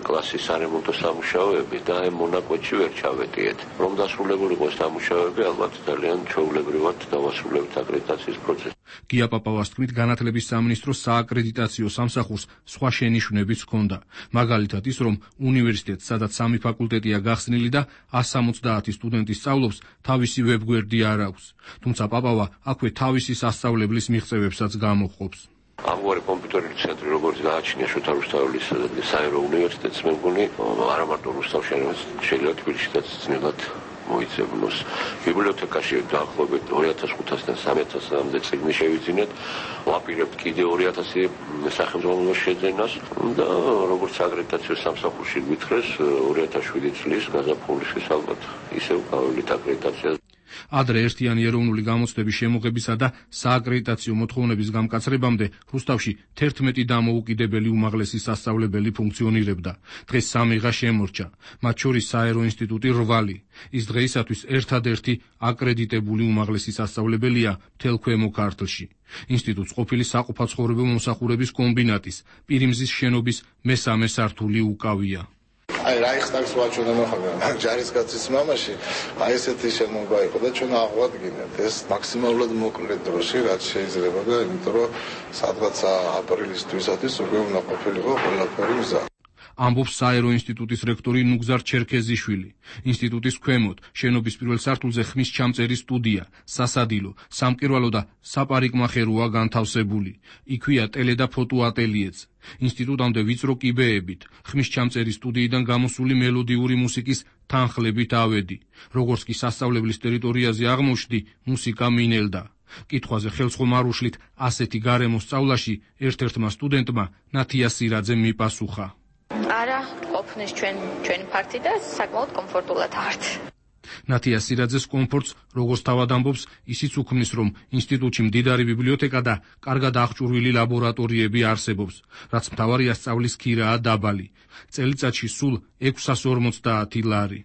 კლასის სარემონტო სამუშაოები და აი მონაკვეთში ვერ ჩავეტიეთ. რომ დასრულებულიყო ეს სამუშაოები, ალბათ ძალიან ჩვეულებრივად დავასრულებთ აკრედიტაციის პროცესს. გია პაპავას თქმით, განათლების სამინისტროს სააკრედიტაციო სამსახურს სხვა შენიშვნებიც ჰქონდა. მაგალითად ის, რომ უნივერსიტეტს, სადაც სამი ფაკულტეტია გახსნილი და ასი ოცდაათი სტუდენტი სწავლობს, თავისი ვებგვერდი არ აქვს. თუმცა პაპავა აქვე თავისი სასწავლებლის მიღწევებსაც გამოჰყოფს. ამგვარი კომპიუტერული ცენტრი, როგორც გააჩნია შოთა რუსთაველის საერო უნივერსიტეტს, მე მგონი არა მარტო რუსთავში, არამედ შეიძლება თბილისშიც ძნელად მოიცემნოს. ბიბლიოთეკაში დაახლოებით ორი ათას ხუთასიდან სამი ათასამდე წიგნი შევიძინეთ, ვაპირებთ კიდე ორი ათასი სახელმძღვანელოს შეძენას და როგორც აკრედიტაციო სამსახურში გითხრეს, ორი ათას შვიდი წლის გაზაფხულისთვის ალბათ ისევ გავივლით აკრედიტაციას. ადრე ერთიანი ეროვნული გამოცდების შემოღებისა და სააკრედიტაციო მოთხოვნების გამკაცრებამდე რუსთავში თერთმეტი დამოუკიდებელი უმაღლესი სასწავლებელი ფუნქციონირებდა. დღეს სამიღა შემორჩა, მათ შორის საერო ინსტიტუტი რვალი. ის დღეისათვის ერთადერთი აკრედიტებული უმაღლესი სასწავლებელია მთელ ქვემო ქართლში. ინსტიტუტს ყოფილი საყოფაცხოვრებო მომსახურების კომბინატის პირიმზის შენობის მესამე სართული უკავია. აი რაიხსტაგს ვაჩვენა მოხდა ჯარისკაცის მამაში აი ესეთი შენობა იყო და ჩვენ აღვადგინეთ ეს მაქსიმალურად მოკლე დროში რაც შეიძლება და იმიტომ რომ სადღაც აპრილის თვისათვის უკვე უნდა ყოფილიყო ყველაფერი მზად. ამბობს საერო ინსტიტუტის რექტორი ნუგზარ ჩერქეზიშვილი. ინსტიტუტის ქვემოთ შენობის პირველ სართულზე ხმის ჩამწერის სტუდია, სასადილო, სამკერვალო და საპარიკმახეროა განთავსებული. იქვეა ტელე და ფოტო ატელიეც. ინსტიტუტამდე ვიწრო კიბეებით, ხმის ჩამწერის სტუდიიდან გამოსული მელოდიური მუსიკის თანხლებით ავედი. როგორც კი სასწავლებლის ტერიტორიაზე აღმოჩნდი, მუსიკა მინელდა. კითხვაზე ხელსხომ არ უშლით ასეთი გარემოს სწავლაში ერთ-ერთმა სტუდენტმა ნათია სირაძემ მიპასუხა. არა, ყოფნის ჩვენ ჩვენი ფართი და საკმაოდ კომფორტულად ვართ. ნათია სირაძეს კომფორტს, როგორც თავად ამბობს, ისიც უქმნის, რომ ინსტიტუტში მდიდარი ბიბლიოთეკა და კარგად აღჭურვილი ლაბორატორიები არსებობს, რაც მთავარია სწავლის ქირაა დაბალი. წელიწადში სულ ექვსას ორმოცდაათი ლარი.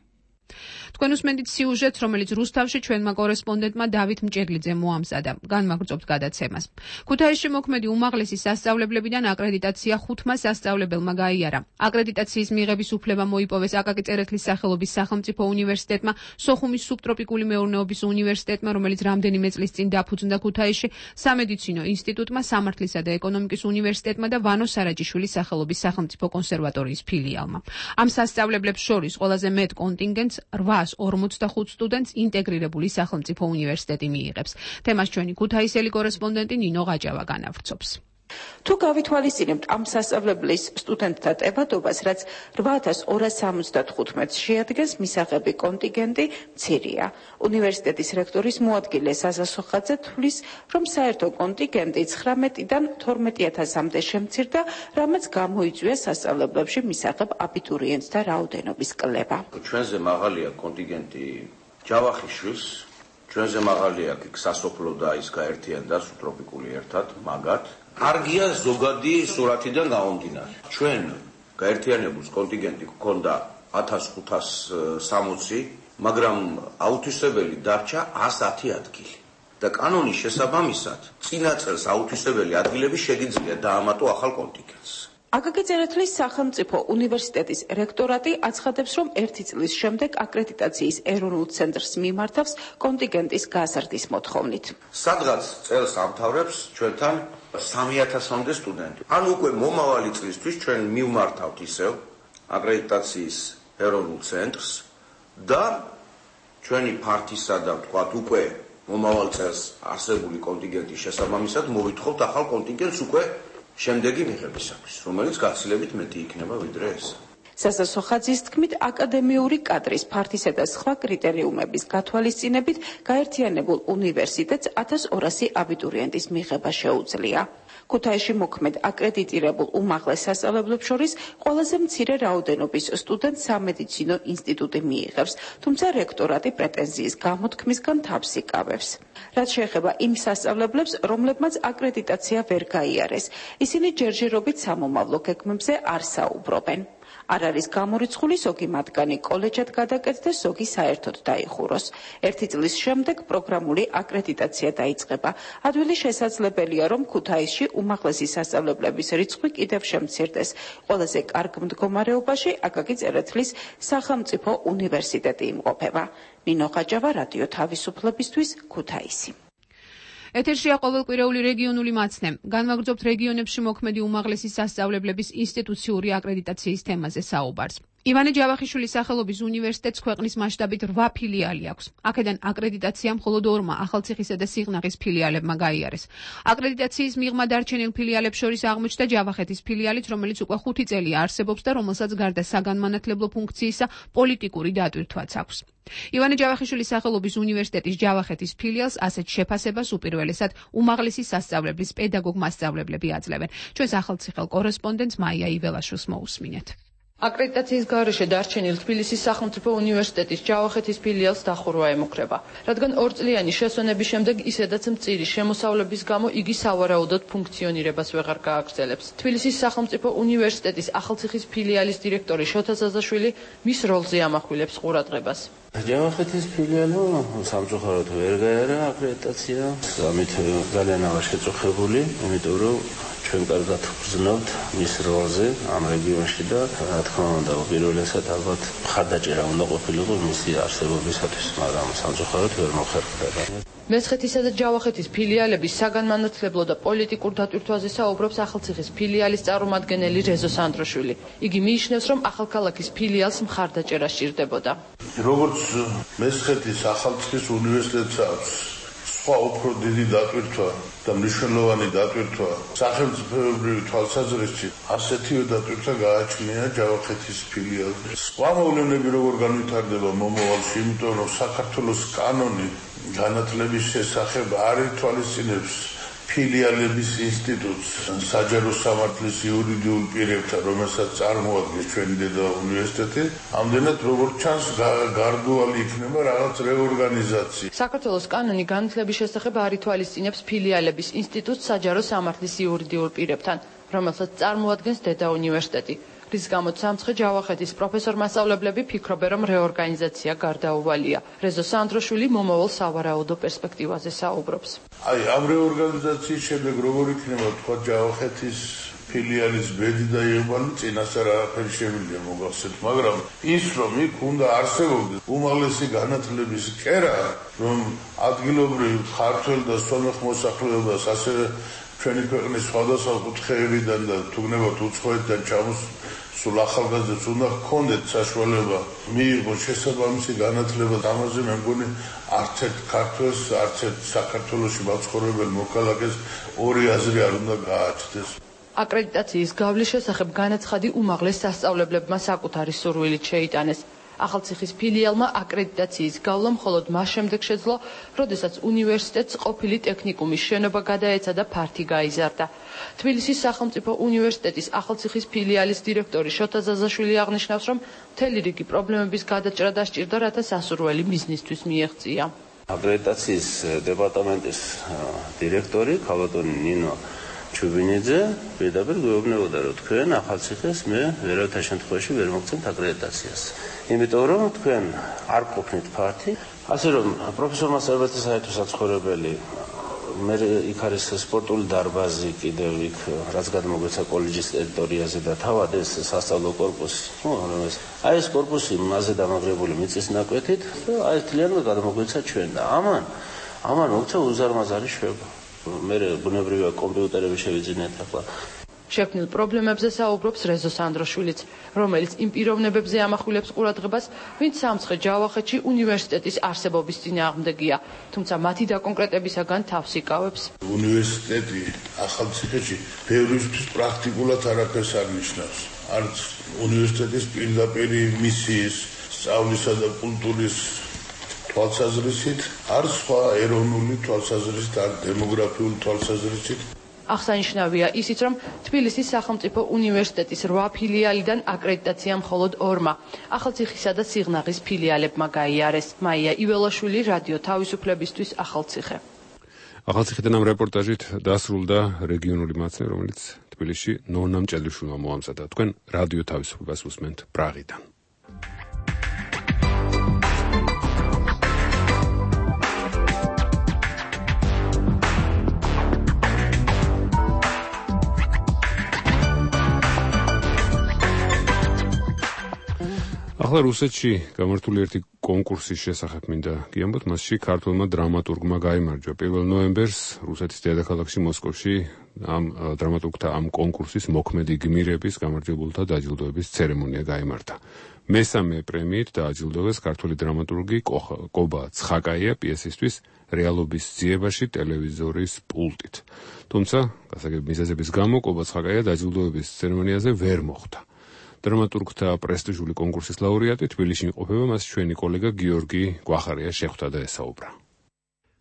თქვენ უსმენთ სიუჟეტს, რომელიც რუსთავში ჩვენმა კორესპონდენტმა დავით მჭედლიძემ მოამზადა. განმაგრძობთ გადაცემას. ქუთაისში მოქმედი უმაღლესი სასწავლებლებიდან აკრედიტაცია ხუთმა სასწავლებელმა გაიარა. აკრედიტაციის მიღების უფლება მოიპოვეს აკაკი წერეთლის სახელობის სახელმწიფო უნივერსიტეტმა, სოხუმის სუბტროპიკული მეურნეობის უნივერსიტეტმა, რომელიც რამდენიმე წლის წინ დაფუძნდა ქუთაისში, სამედიცინო ინსტიტუტმა, სამართლისა და ეკონომიკის უნივერსიტეტმა და ვანო სარაჯიშვილის სახელობის სახელმწიფო კონსერვატორიის ფილიალმა. ამ სასწავლებლებს შორის ყველაზე მეტ კონტინგენტს რვას ორმოცდახუთ სტუდენტს ინტეგრირებული სახელმწიფო უნივერსიტეტი მიიღებს. თემას ჩვენი ქუთაისელი კორესპონდენტი ნინო ღაჯავა განავრცობს. თუ გავითვალისწინებთ ამ სასწავლებლის სტუდენტთა ტევადობას, რაც რვა ათას ორას სამოცდათხუთმეტს შეადგენს, მისაღები კონტინგენტი მცირეა. უნივერსიტეტის რექტორის მოადგილე საზა სოხაძე თვლის, რომ საერთო კონტინგენტი ცხრამეტიდან თორმეტი ათასამდე შემცირდა, რამაც გამოიწვია სასწავლებლებში მისაღებ აბიტურიენტთა რაოდენობის კლება. ჩვენზე მაღალია კონტინგენტი ჯავახიშვილს, ჩვენზე მაღალია სასოფლო და ის გაერთიანდა სუბტროპიკული ერთად, მაგათ. კარგია ზოგადი სურათიდან გამომდინარე. ჩვენ გაერთიანებულს კონტინგენტი გქონდა ათას ხუთას სამოცი, მაგრამ აუთვისებელი დარჩა ასათი ადგილი. და კანონის შესაბამისად, წინა წელს აუთვისებელი ადგილები შეგიძლია დაამატო ახალ კონტინგენტს. აკაკი წერეთლის სახელმწიფო უნივერსიტეტის რექტორატი აცხადებს, რომ ერთი წლის შემდეგ აკრედიტაციის ეროვნულ ცენტრს მიმართავს კონტინგენტის გაზრდის მოთხოვნით. სადღაც წელს ამთავრებს ჩვენთან სამი ათასამდე სტუდენტი. ან უკვე მომავალი წლისთვის ჩვენ მივმართავთ ისევ აკრედიტაციის ეროვნულ ცენტრს და ჩვენი ფართისა და ვთქვათ უკვე მომავალ წელს არსებული კონტინგენტის შესაბამისად მოვითხოვთ ახალ კონტინგენტს უკვე შემდეგი მიღებისათვის, რომელიც გაცილებით მეტი იქნება ვიდრე ეს. სასასო ხაძის თქმით, აკადემიური კადრის ფართისა და სხვა კრიტერიუმების გათვალისწინებით გაერთიანებულ უნივერსიტეტს ათას ორასი აბიტურიენტის მიღება შეუძლია. ქუთაისში მოქმედ აკრედიტირებულ უმაღლეს სასწავლებლებს შორის ყველაზე მცირე რაოდენობის სტუდენტს სამედიცინო ინსტიტუტი მიიღებს, თუმცა რექტორატი პრეტენზიის გამოთქმისგან თავს იკავებს. რაც შეეხება იმ სასწავლებლებს, რომლებმაც აკრედიტაცია ვერ გაიარეს, ისინი ჯერჯერობით სამომავლო გეგმებზე არ საუბრობენ. არ არის გამორიცხული ზოგი მათგანი კოლეჯად გადაკეთდეს, ზოგი საერთოდ დაიხუროს. ერთი წლის შემდეგ პროგრამული აკრედიტაცია დაიწყება. ადვილი შესაძლებელია, რომ ქუთაისში უმაღლესი სასწავლებლების რიცხვი კიდევ შემცირდეს. ყველაზე კარგ მდგომარეობაში აკაკი წერეთლის სახელმწიფო უნივერსიტეტი იმყოფება. ნინო ხაჯავა, რადიო თავისუფლებისთვის, ქუთაისი. ეთერშია ყოველკვირეული რეგიონული მაცნე. განვაგრძობთ რეგიონებში მოქმედი უმაღლესი სასწავლებლების ინსტიტუციური აკრედიტაციის თემაზე საუბარს. ივანე ჯავახიშვილის სახელობის უნივერსიტეტს ქვეყნის მასშტაბით რვა ფილიალი აქვს. აქედან აკრედიტაცია მხოლოდ ორმა ახალციხისა და სიღნაღის ფილიალებმა გაიარეს. აკრედიტაციის მიღმა დარჩენილ ფილიალებს შორის აღმოჩნდა ჯავახეთის ფილიალიც, რომელიც უკვე ხუთი წელია არსებობს და რომელსაც გარდა საგანმანათლებლო ფუნქციისა პოლიტიკური დატვირთვაც აქვს. ივანე ჯავახიშვილის სახელობის უნივერსიტეტის ჯავახეთის ფილიალს ასეთ შეფასებას უპირველესად უმაღლესი სასწავლებლის პედაგოგ-მასწავლებლები აძლევენ. ჩვენს ახალციხელ კორესპონდენტს მაია იველაშვილს მოусმინეთ. აკრედიტაციის გარეშე დარჩენილ თბილისის სახელმწიფო უნივერსიტეტის ჯავახეთის ფილიალს დახურვა ემუქრება, რადგან ორწლიანი შესვენების შემდეგ ისედაც მწირი შემოსავლების გამო იგი სავარაუდოდ ფუნქციონირებას ვეღარ გააგრძელებს. თბილისის სახელმწიფო უნივერსიტეტის ახალციხის ფილიალის დირექტორი შოთა ზაზაშვილი მის როლზე ამახვილებს ყურადღებას. ჯავახეთის ფილიალმა სამწუხაროდ ვერ გაიარა აკრედიტაცია, ამით ძალიან აღარ შეწუხებული, იმიტომ რომ ჩვენ კარგად ვგრძნობთ მის როლზე ამ რეგიონში და რა თქმა უნდა უპირველესად ალბათ მხარდაჭერა უნდა ყოფილიყო მისი არსებობისათვის, მაგრამ სამწუხაროდ ვერ მოხერხდა. მესხეთისა და ჯავახეთის ფილიალების საგანმანათლებლო და პოლიტიკურ დატვირთვაზე საუბრობს ახალციხის ფილიალის წარმომადგენელი რეზო სანდროშვილი. იგი მიიჩნევს, რომ ახალქალაქის ფილიალს მხარდაჭერა სჭირდებოდა. როგორც მესხეთის ახალციხის უნივერსიტეტს აქვს სხვა უფრო დიდი დატვირთვა და მნიშვნელოვანი დატვირთვა სახელმწიფოებრივი თვალსაზრისით, ასეთივე დატვირთვა გააჩნია ჯავახეთის ფილიალს. სხვა მოვლენები როგორ განვითარდება მომავალში, იმიტომ რომ საქართველოს კანონი განათლების შესახებ არ ითვალისწინებს ფილიალების ინსტიტუტს საჯარო სამართლის იურიდიულ პირებთან, რომელსაც წარმოადგენს ჩვენი დედა უნივერსიტეტი, ამდენად როგორც ჩანს გარდუალი იქნება რაღაც რეორგანიზაცია. საქართველოს კანონი განათლების შესახებ არ ითვალისწინებს ფილიალების ინსტიტუტს საჯარო სამართლის იურიდიულ პირებთან, რომელსაც წარმოადგენს დედა უნივერსიტეტი. რის გამოც სამცხე ჯავახეთის პროფესორ-მასწავლებლები ფიქრობენ, რომ რეორგანიზაცია გარდაუვალია. რეზო სანდროშვილი მომავალ სავარაუდო პერსპექტივაზე საუბრობს. აი, ამ რეორგანიზაციის შემდეგ როგორ იქნება თქვა ჯავახეთის ფილიალის ბედი და იყვანი წინასწარ არაფერი შემიძლია მოგახსენოთ, მაგრამ ის რომ იქ უნდა არსებობდეს უმაღლესი განათლების კერა, რომ ადგილობრივ ქართველ და სომეხ მოსახლეობას ასევე ჩვენი ქვეყნის სხვადასხვა კუთხეებიდან და თუნდაც უცხოეთიდან ჩამოს სულ ახალგაზრდებს უნდა ჰქონდეთ საშუალება მიიღოს შესაბამისი განათლება. ამაზე მე მგონი არც ერთ ქართველს, არც ერთ საქართველოში მაცხოვრებელ მოქალაქეს ორი აზრი არ უნდა გააჩნდეს. აკრედიტაციის გავლის შესახებ განაცხადი უმაღლეს სასწავლებლებმა საკუთარი სურვილით შეიტანეს. ახალციხის ფილიალმა აკრედიტაციის გავლა მხოლოდ მას შემდეგ შეძლო, როდესაც უნივერსიტეტს ყოფილი ტექნიკუმის შენობა გადაეცა და ფართი გაიზარდა. თბილისის სახელმწიფო უნივერსიტეტის ახალციხის ფილიალის დირექტორი შოთა ზაზაშვილი აღნიშნავს, რომ მთელი რიგი პრობლემების გადაჭრა დასჭირდა, რათა სასურველი მიზნისთვის მიეღწია. აკრედიტაციის დეპარტამენტის დირექტორი ქალბატონი ნინო ჩუბინიძე პირდაპირ გვეუბნებოდა, რომ თქვენ ახალციხეს მე ვერავითარ შემთხვევაში ვერ მოგცემთ აკრედიტაციას. იმიტომ რომ თქვენ არ ყოფნით ფართი, ასე რომ პროფესორ-მასწავლებლთა საერთო საცხოვრებელი მე იქ არის სპორტული დარბაზი კიდევ იქ რაც გადმოგვეცა კოლეჯის ტერიტორიაზე და თავად ეს სასწავლო კორპუსი. აი ეს კორპუსი მასზე დამაგრებული მიწის ნაკვეთით და აი თლიანად გადმოგვეცა ჩვენ და ამან ამან მოქცა უზარმაზარი შვება. მე ბუნებრივია კომპიუტერები შევიძინეთ ახლა. შექმნილ პრობლემებზე საუბრობს რეზო სანდროშვილიც, რომელიც იმ პიროვნებებზე ამახვილებს ყურადღებას, ვინც სამცხე ჯავახეთში უნივერსიტეტის არსებობის წინააღმდეგია, თუმცა მათი დაკონკრეტებისაგან თავს იკავებს. უნივერსიტეტი ახალციხეში ბევრისთვის პრაქტიკულად არაფერს არ ნიშნავს. არც უნივერსიტეტის პირდაპირი მისიის, სწავლისა და კულტურის თვალსაზრისით, არც სხვა ეროვნული თვალსაზრისით, არ დემოგრაფიული თვალსაზრისით. აღსანიშნავია ისიც, რომ თბილისის სახელმწიფო უნივერსიტეტის რვა ფილიალიდან აკრედიტაცია მხოლოდ ორმა, ახალციხისა და სიღნაღის ფილიალებმა გაიარეს. მაია იველაშვილი, რადიო თავისუფლებისთვის, ახალციხე. ახალციხიდან ამ რეპორტაჟით დასრულდა რეგიონული მაცნე, რომელიც თბილისში ნონა მჭედლიშვილმა მოამზადა. თქვენ რადიო თავისუფლებას უსმენთ პრაღიდან. ახლა რუსეთში გამართული ერთი კონკურსის შესახებ მინდა გიამბოთ, მასში ქართველმა დრამატურგმა გაიმარჯვა. პირველ ნოემბერს რუსეთის დედაქალაქში მოსკოვში ამ დრამატურგთა ამ კონკურსის მოქმედი გმირების გამარჯვებულთა დაჯილდოების ცერემონია გაიმართა. მესამე პრემიით დააჯილდოვეს ქართველი დრამატურგი კობა ცხაკაია პიესისთვის რეალობის ძიებაში ტელევიზორის პულტით. თუმცა, გასაგები მიზეზების გამო კობა ცხაკაია დაჯილდოების ცერემონიაზე ვერ მოხვდა. დრამატურგთა პრესტიჟული კონკურსის ლაურეატი თბილისში იმყოფება, მას ჩვენი კოლეგა გიორგი გვახარია შეხვდა და ესაუბრა.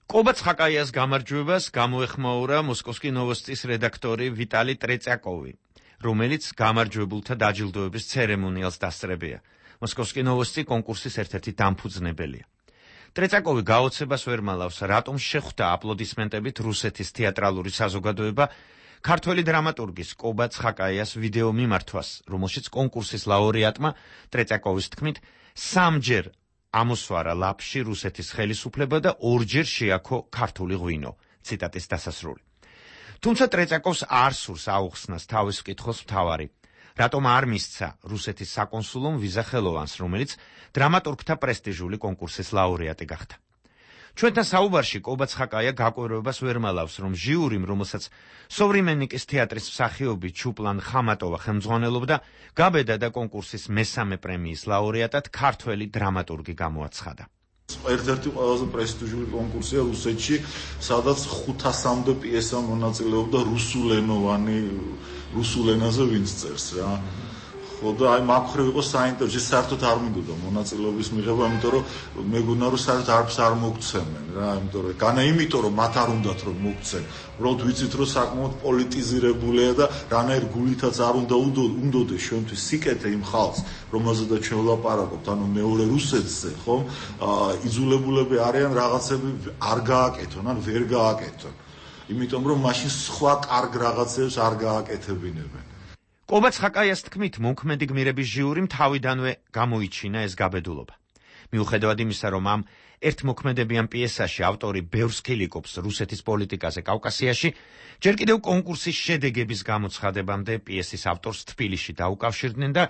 კობა ცხაკაიას გამარჯვებას გამოეხმაურა მოსკოვსკი ნოვოსტის რედაქტორი ვიტალი ტრეწაკოვი, რომელიც გამარჯვებულთა დაჯილდოების ცერემონიალს დასწრებია. მოსკოვსკი ნოვოსტი კონკურსის ერთ-ერთი დამფუძნებელია. ტრეწაკოვი გაოცებას ვერ მალავს, რატომ შეხვდა აპლოდისმენტებით რუსეთის თეატრალური საზოგადოება ქართველი დრამატურგის კობა ცხაკაიას ვიდეო მიმართვას, რომელშიც კონკურსის ლაურეატმა ტრეწაკოვის თქმით სამჯერ ამოსვარა ლაფში რუსეთის ხელისუფლება და ორჯერ შეაქო ქართული ღვინო. ციტატის დასასრული. თუმცა ტრეწაკოვს არ სურს აუხსნას თავის კითხოს მთავარი, რატომ არ მისცა რუსეთის საკონსულომ ვიზა ხელოვანს, რომელიც დრამატურგთა პრესტიჟული კონკურსის ლაურეატი გახდა. ჩვენთან საუბარში კობა ცხაკაია გაკვირვებას ვერ მალავს, რომ ჟიურიმ, რომელსაც სოვრიმენიკის თეატრის მსახიობი ჩუპლან ხამატოვა ხელმძღვანელობდა, გაბედა და კონკურსის მესამე პრემიის ლაურეატად ქართველი დრამატურგი გამოაცხადა. ერთ-ერთი ყველაზე პრესტიჟული კონკურსია რუსეთში, სადაც ხუთასამდე პიესა მონაწილეობდა რუსულენოვანი, რუსულ ენაზე ვინც წერს რა. ხო და აი მაგხრივ იყო საინტერესო, საერთოდ არ მინდოდა მონაწილეობის მიღება, იმიტომ რომ მეგონა რომ საერთოდ არც არ მოგცემენ რა, იმიტომ რომ განა იმიტომ რომ მათ არ უნდათ რომ მოგცენ. უბრალოდ ვიცით რომ საკმაოდ პოლიტიზირებულია და რანაირ გულითაც არ უნდა უნდოდეს ჩვენთვის სიკეთე იმ ხალხს, რომელზედაც ჩვენ ვლაპარაკობთ, ანუ მეორე რუსეთზე, ხომ? იძულებულები არიან რაღაცები არ გააკეთონ, ან ვერ გააკეთონ. იმიტომ რომ მაშინ სხვა კარგ რაღაცებს არ გააკეთებინებენ. კობა ცხაკაიას თქმით, მოქმედი გმირების ჟიურიმ თავიდანვე გამოიჩინა ეს გაბედულობა. მიუხედავად იმისა, რომ ამ ერთმოქმედებიან პიესაში ავტორი ბევრს ქილიკობს რუსეთის პოლიტიკაზე კავკასიაში, ჯერ კიდევ კონკურსის შედეგების გამოცხადებამდე პიესის ავტორს თბილისში დაუკავშირდნენ და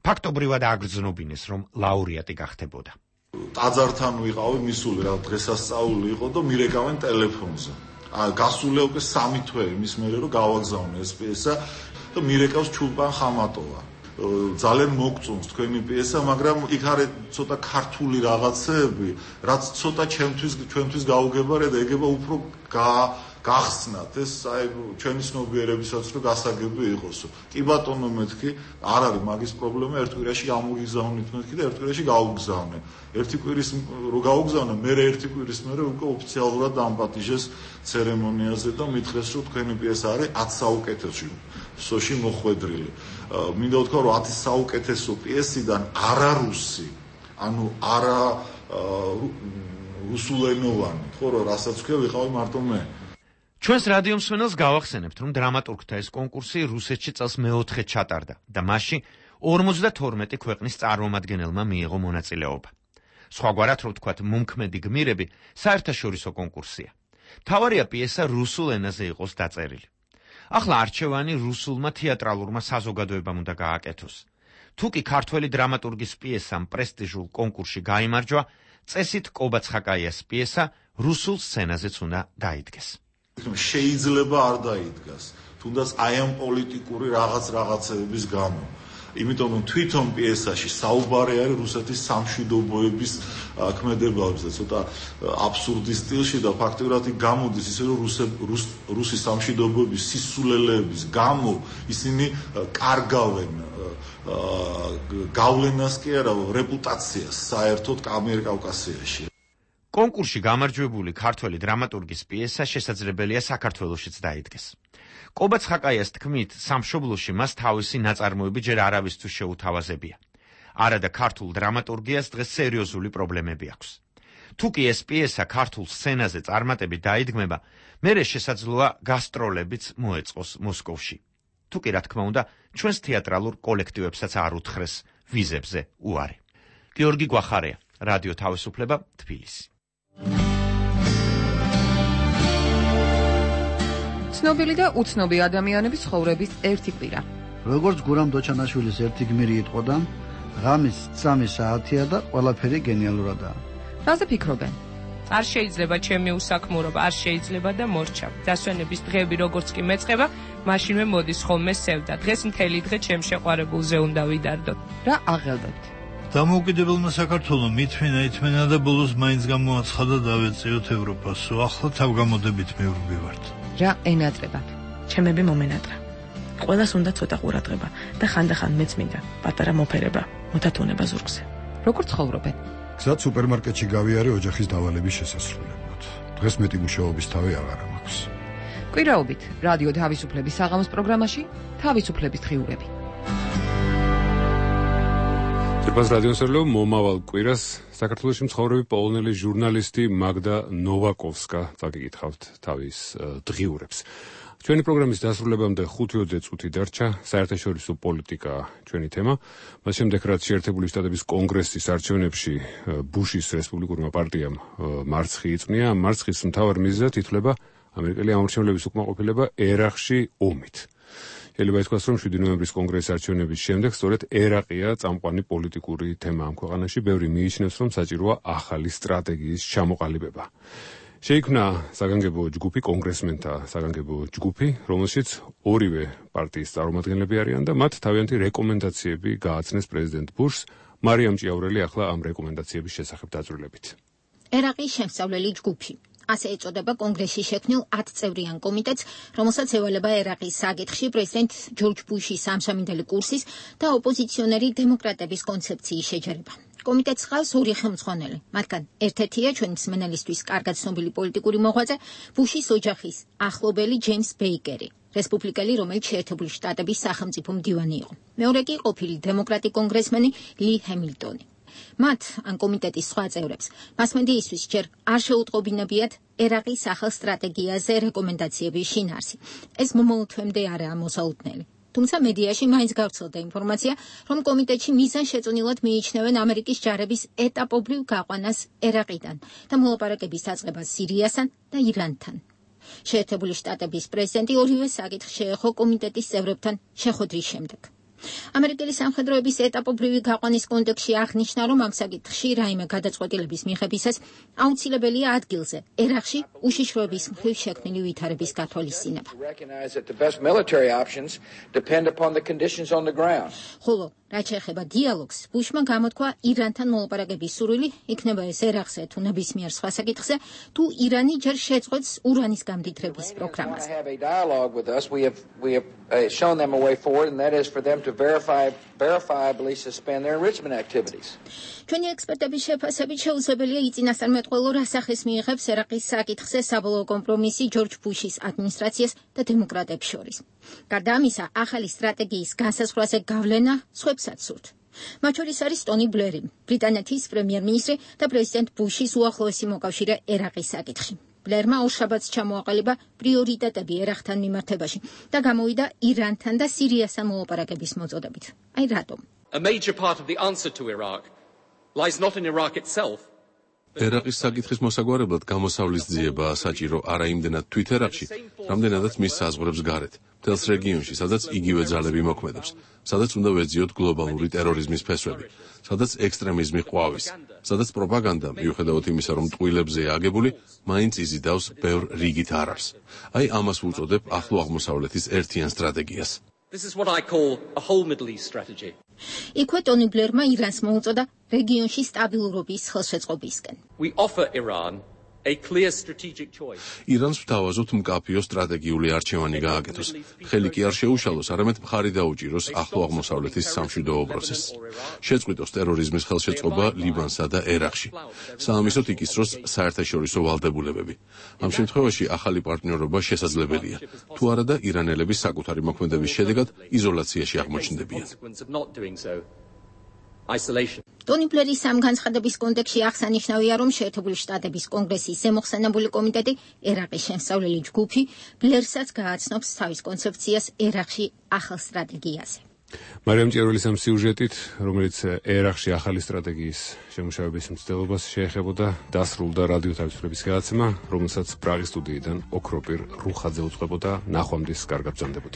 ფაქტობრივად აგრძნობინეს, რომ ლაურეატი გახდებოდა. ტაძართან ვიყავი მისული რა დღესასწაული იყო და მირეკავენ ტელეფონზე. გასულია უკვე სამი თვე იმის მერე რომ გავაგზავნე ეს პიესა და მირეკავს ჩულპან ხამატოვა. ძალიან მოგწონს თქვენი პიესა, მაგრამ იქ არის ცოტა ქართული რაღაცები, რაც ცოტა ჩემთვის ჩვენთვის გაუგებარია და ეგება უფრო გახსნათ ეს აი ჩვენი ცნობიერებისაც რომ გასაგები იყოს. კი ბატონო მეთქი, არ არის მაგის პრობლემა, ერთ კვირაში გამოგიგზავნით მეთქი და ერთ კვირაში გავუგზავნე. ერთი კვირის რო გავუგზავნე, მე ერთი კვირის მერე უკვე ოფიციალურად დამპატიჟეს ცერემონიაზე და მითხრეს რომ თქვენი პიესა არის ათ საუკეთესო სოში მოხვედრილი. მინდა ვთქვა რომ ათი საუკეთესო პიესიდან არარუსი, ანუ არა რუსულენოვანი, ხო რომ რასაც ვქია ვიყავი მარტო მე. ჩვენს რადიო მსმენელს გავახსენებთ, რომ დრამატურგთა ეს კონკურსი რუსეთში წელს მეოთხე ჩატარდა და მასში ორმოცდათორმეტი ქვეყნის წარმომადგენელმა მიიღო მონაწილეობა. სხვაგვარად რო ვთქვათ, მომქმედი გმირები საერთაშორისო კონკურსია. მთავარია პიესა რუსულ ენაზე იყოს დაწერილი. ახლა არჩევანი რუსულმა თეატრალურმა საზოგადოებამ უნდა გააკეთოს. თუ კი ქართველი დრამატურგის პიესამ პრესტიჟულ კონკურსში გაიმარჯვა, წესით კობაცხაკაიას პიესა რუსულ სცენაზეც უნდა დაიდგეს. შეიძლება არ დაიდგას, თუნდაც აი ამ პოლიტიკური რაღაც რაღაცების გამო. იმიტომ რომ თვითონ პიესაში საუბარი არის რუსეთის სამშვიდობოების ქმედებაზე, ცოტა აბსურდის სტილში და ფაქტობრივად გამოდის ისე რომ რუსი სამშვიდობოების სისულელეების გამო ისინი კარგავენ გავლენას კი არა, რეპუტაციას საერთოდ ამიერკავკასიაში. კონკურსში გამარჯვებული ქართველი დრამატურგის პიესა შესაძლებელია საქართველოშიც დაიდგეს. კობაცხაკაიას თქმით, სამშობლოში მას თავისი ნაწარმოები ჯერ არავისთვის შეუთავაზებია. არადა ქართულ დრამატურგიას დღეს სერიოზული პრობლემები აქვს. თუ კი ეს პიესა ქართულ სცენაზე წარმატებით დაიდგმება, მერე შესაძლოა გასტროლებიც მოეწყოს მოსკოვში. თუ კი რა თქმა უნდა, ჩვენს თეატრალურ კოლექტივებსაც არ უთხრეს ვიზებზე უარი. გიორგი გვახარია, რადიო თავისუფლება, თბილისი. ცნობილი და უცნობი ადამიანების ცხოვრების ერთი კვირა. როგორც გურამ დოჩანაშვილის ერთი გმირი იტყოდა, ღამის სამი საათია და ყველაფერი გენიალურადაა. რაზე ფიქრობენ? არ შეიძლება ჩემი უსაქმურობა, არ შეიძლება და მორჩა. დასვენების დღეები როგორც კი მეწყება, მაშინვე მოდის ხოლმე სევდა. დღეს მთელი დღე ჩემ შეყვარებულზე უნდა ვიდარდოთ. რა აღელვებთ? დამოუკიდებელმა საქართველომ ითმენა ითმენა და ბოლოს მაინც გამოაცხადა დავეწიოთ ევროპასო. ახლა თავგამოდებით მივდივართ. რა ენატრებათ? ჩემები მომენატრა. ყველას უნდა ცოტა ყურადღება და ხანდახან მეც მინდა პატარა მოფერება, მოდათუნება ზურგზე. როგორ ცხოვრობენ? გზად სუპერმარკეტში გავიარე ოჯახის დავალების შესასრულებლად. დღეს მეტი მუშაობის თავი აღარ მაქვს. კვირაობით რადიო თავისუფლების საღამოს პროგრამაში თავისუფლების დღიურები. წერბას რადიოსერლო მომავალ კვირას საქართველოში მცხოვრები პოლონელი ჟურნალისტი მაგდა ნოვაკოვსკა წაგიკითხავთ თავის დღიურებს. ჩვენი პროგრამის დასრულებამდე ხუთი ოცდაათი წუთი დარჩა, საერთაშორისო პოლიტიკა ჩვენი თემა. მას შემდეგ რაც შეერთებული შტატების კონგრესის არჩევნებში ბუშის რესპუბლიკურმა პარტიამ მარცხი იწვნია, მარცხის მთავარ მიზეზად ითვლება ამერიკელი ამორჩევლების უკმაყოფილება ერაყში ომით. შეიძლება ითქვას, რომ შვიდი ნოემბრის კონგრესის არჩევნების შემდეგ სწორედ ერაყია წამყვანი პოლიტიკური თემა ამ ქვეყანაში. ბევრი მიიჩნევს, რომ საჭიროა ახალი სტრატეგიის ჩამოყალიბება. შეიქმნა საგანგებო ჯგუფი, კონგრესმენთა საგანგებო ჯგუფი, რომელშიც ორივე პარტიის წარმომადგენლები არიან და მათ თავიანთი რეკომენდაციები გააცნეს პრეზიდენტ ბუშს. მარიამ ჭიაურელი ახლა ამ რეკომენდაციების შესახებ დაწვრილებით. ერაყის შემსწავლელი ჯგუფი. ასე ეწოდება კონგრესში შექმნილ ათწევრიან კომიტეტს, რომელსაც ევალება ერაყის საკითხში პრეზიდენტ ჯორჯ ბუშის ამჟამინდელი კურსის და ოპოზიციონერი დემოკრატების კონცეფციის შეჯერება. კომიტეტს ხავს ორი ხელმძღვანელი, მათგან ერთ-ერთია ჩვენი მსმენელისთვის კარგად ცნობილი პოლიტიკური მოღვაწე, ბუშის ოჯახის ახლობელი ჯეიმს ბეიკერი, რესპუბლიკელი, რომელიც შეერთებული შტატების სახელმწიფო მდივანი იყო. მეორე კი ყოფილი დემოკრატი კონგრესმენი ლი ჰემილტონი. მათ ან კომიტეტის სხვა წევრებს მასმედიისთვის ჯერ არ შეუტყობინებიათ ერაყის ახალ სტრატეგიაზე რეკომენდაციების შინაარსი. ეს მომავალ თვემდე არაა მოსაუბრებელი. თუმცა მედიაში მაინც გავრცელდა ინფორმაცია, რომ კომიტეტში მიზანშეწონილად მიიჩნევენ ამერიკის ჯარების ეტაპობრივ გაყვანას ერაყიდან და მოლაპარაკების დაწყებას სირიასთან და ირანთან. შეერთებული შტატების პრეზიდენტი ორივე საკითხს შეეხო კომიტეტის წევრებთან შეხვედრის შემდეგ. ამერიკელი სამხედროების ეტაპობრივი გაყვანის კონტექსტში აღნიშნა, რომ ამ საკითხში რაიმე გადაწყვეტილების მიღებისას აუცილებელია ადგილზე ერაყში უშიშროების მხრივ შექმნილი ვითარების გათვალისწინება. ხოლო რაც შეეხება დიალოგს, ბუშმა გამოთქვა ირანთან მოლაპარაკების სურვილი, იქნება ეს ერაყზე თუ ნებისმიერ სხვა საკითხზე, თუ ირანი ჯერ შეწყვეტს ურანის გამდიდრების პროგრამას. Verify, verifiably suspend their enrichment activities. ჩვენი ექსპერტების შეფასებით შეუძლებელია იწინასწარმეტყველო რასახის მიიღებს ერაყის საკითხზე საბოლოო კომპრომისი ჯორჯ ბუშის ადმინისტრაციას და დემოკრატებს შორის. გარდა ამისა, ახალი სტრატეგიის განსაზღვრაზე გავლენა სხვებსაც სურთ. მათ შორის არის ტონი ბლერი, ბრიტანეთის პრემიერ-მინისტრი და პრეზიდენტ ბუშის უახლოესი მოკავშირე ერაყის საკითხში. ბლერმა ორშაბათს ჩამოაყალიბა პრიორიტეტები ერაყთან მიმართებაში და გამოვიდა ირანთან და სირიასთან მოლაპარაკების მოწოდებით. აი რატომ? A major part of the answer to Iraq lies not in Iraq itself, ერაყის საკითხის მოსაგვარებლად გამოსავლის ძიებაა საჭირო არა იმდენად თვით ერაყში, რამდენადაც მის საზღვრებს გარეთ, მთელს რეგიონში, სადაც იგივე ძალები მოქმედებს, სადაც უნდა ვეძიოთ გლობალური ტერორიზმის ფესვები, სადაც ექსტრემიზმი ყვავის, სადაც პროპაგანდა, მიუხედავად იმისა, რომ ტყუილებზეა აგებული, მაინც იზიდავს ბევრ რიგით არარს. აი ამას ვუწოდებ ახლო აღმოსავლეთის ერთიან სტრატეგიას. This is what I call a whole Middle East strategy. იქვე ტონი ბლერმა ირანს მოუწოდა რეგიონში სტაბილურობის ხელშეწყობისკენ. We offer Iran a clear strategic choice. ირანს ვთავაზობთ მკაფიო სტრატეგიული არჩევანი გააკეთოს. ხელი კი არ შეუშალოს, არამედ მხარი დაუჭიროს ახლო აღმოსავლეთის სამშვიდობო პროცესს. შეწყვიტოს ტერორიზმის ხელშეწყობა ლიბანსა და ერაყში. საამისოდ იკისროს საერთაშორისო ვალდებულებები. ამ შემთხვევაში ახალი პარტნიორობა შესაძლებელია. თუ არა და ირანელები საკუთარი მოქმედების შედეგად იზოლაციაში აღმოჩნდებიან. Isolation. ტონი ბლერის ამ განცხადების კონტექსტში აღსანიშნავია, რომ შეერთებული შტატების კონგრესის ზემოხსენებული კომიტეტი ერაყის შემსწავლელი ჯგუფი ბლერსაც გააცნობს თავის კონცეფციას ერაყში ახალ სტრატეგიაზე. მარიამ ჭირულის ამ სიუჟეტით, რომელიც ერაყში ახალი სტრატეგიის შემუშავების მცდელობას შეეხებოდა, დასრულდა რადიო თავისუფლების გადაცემა, რომელსაც პრაღის სტუდიიდან ოქროპირ რუხაძე უწყებოდა. ნახვამდის კარგად ბრძანდებოდეთ.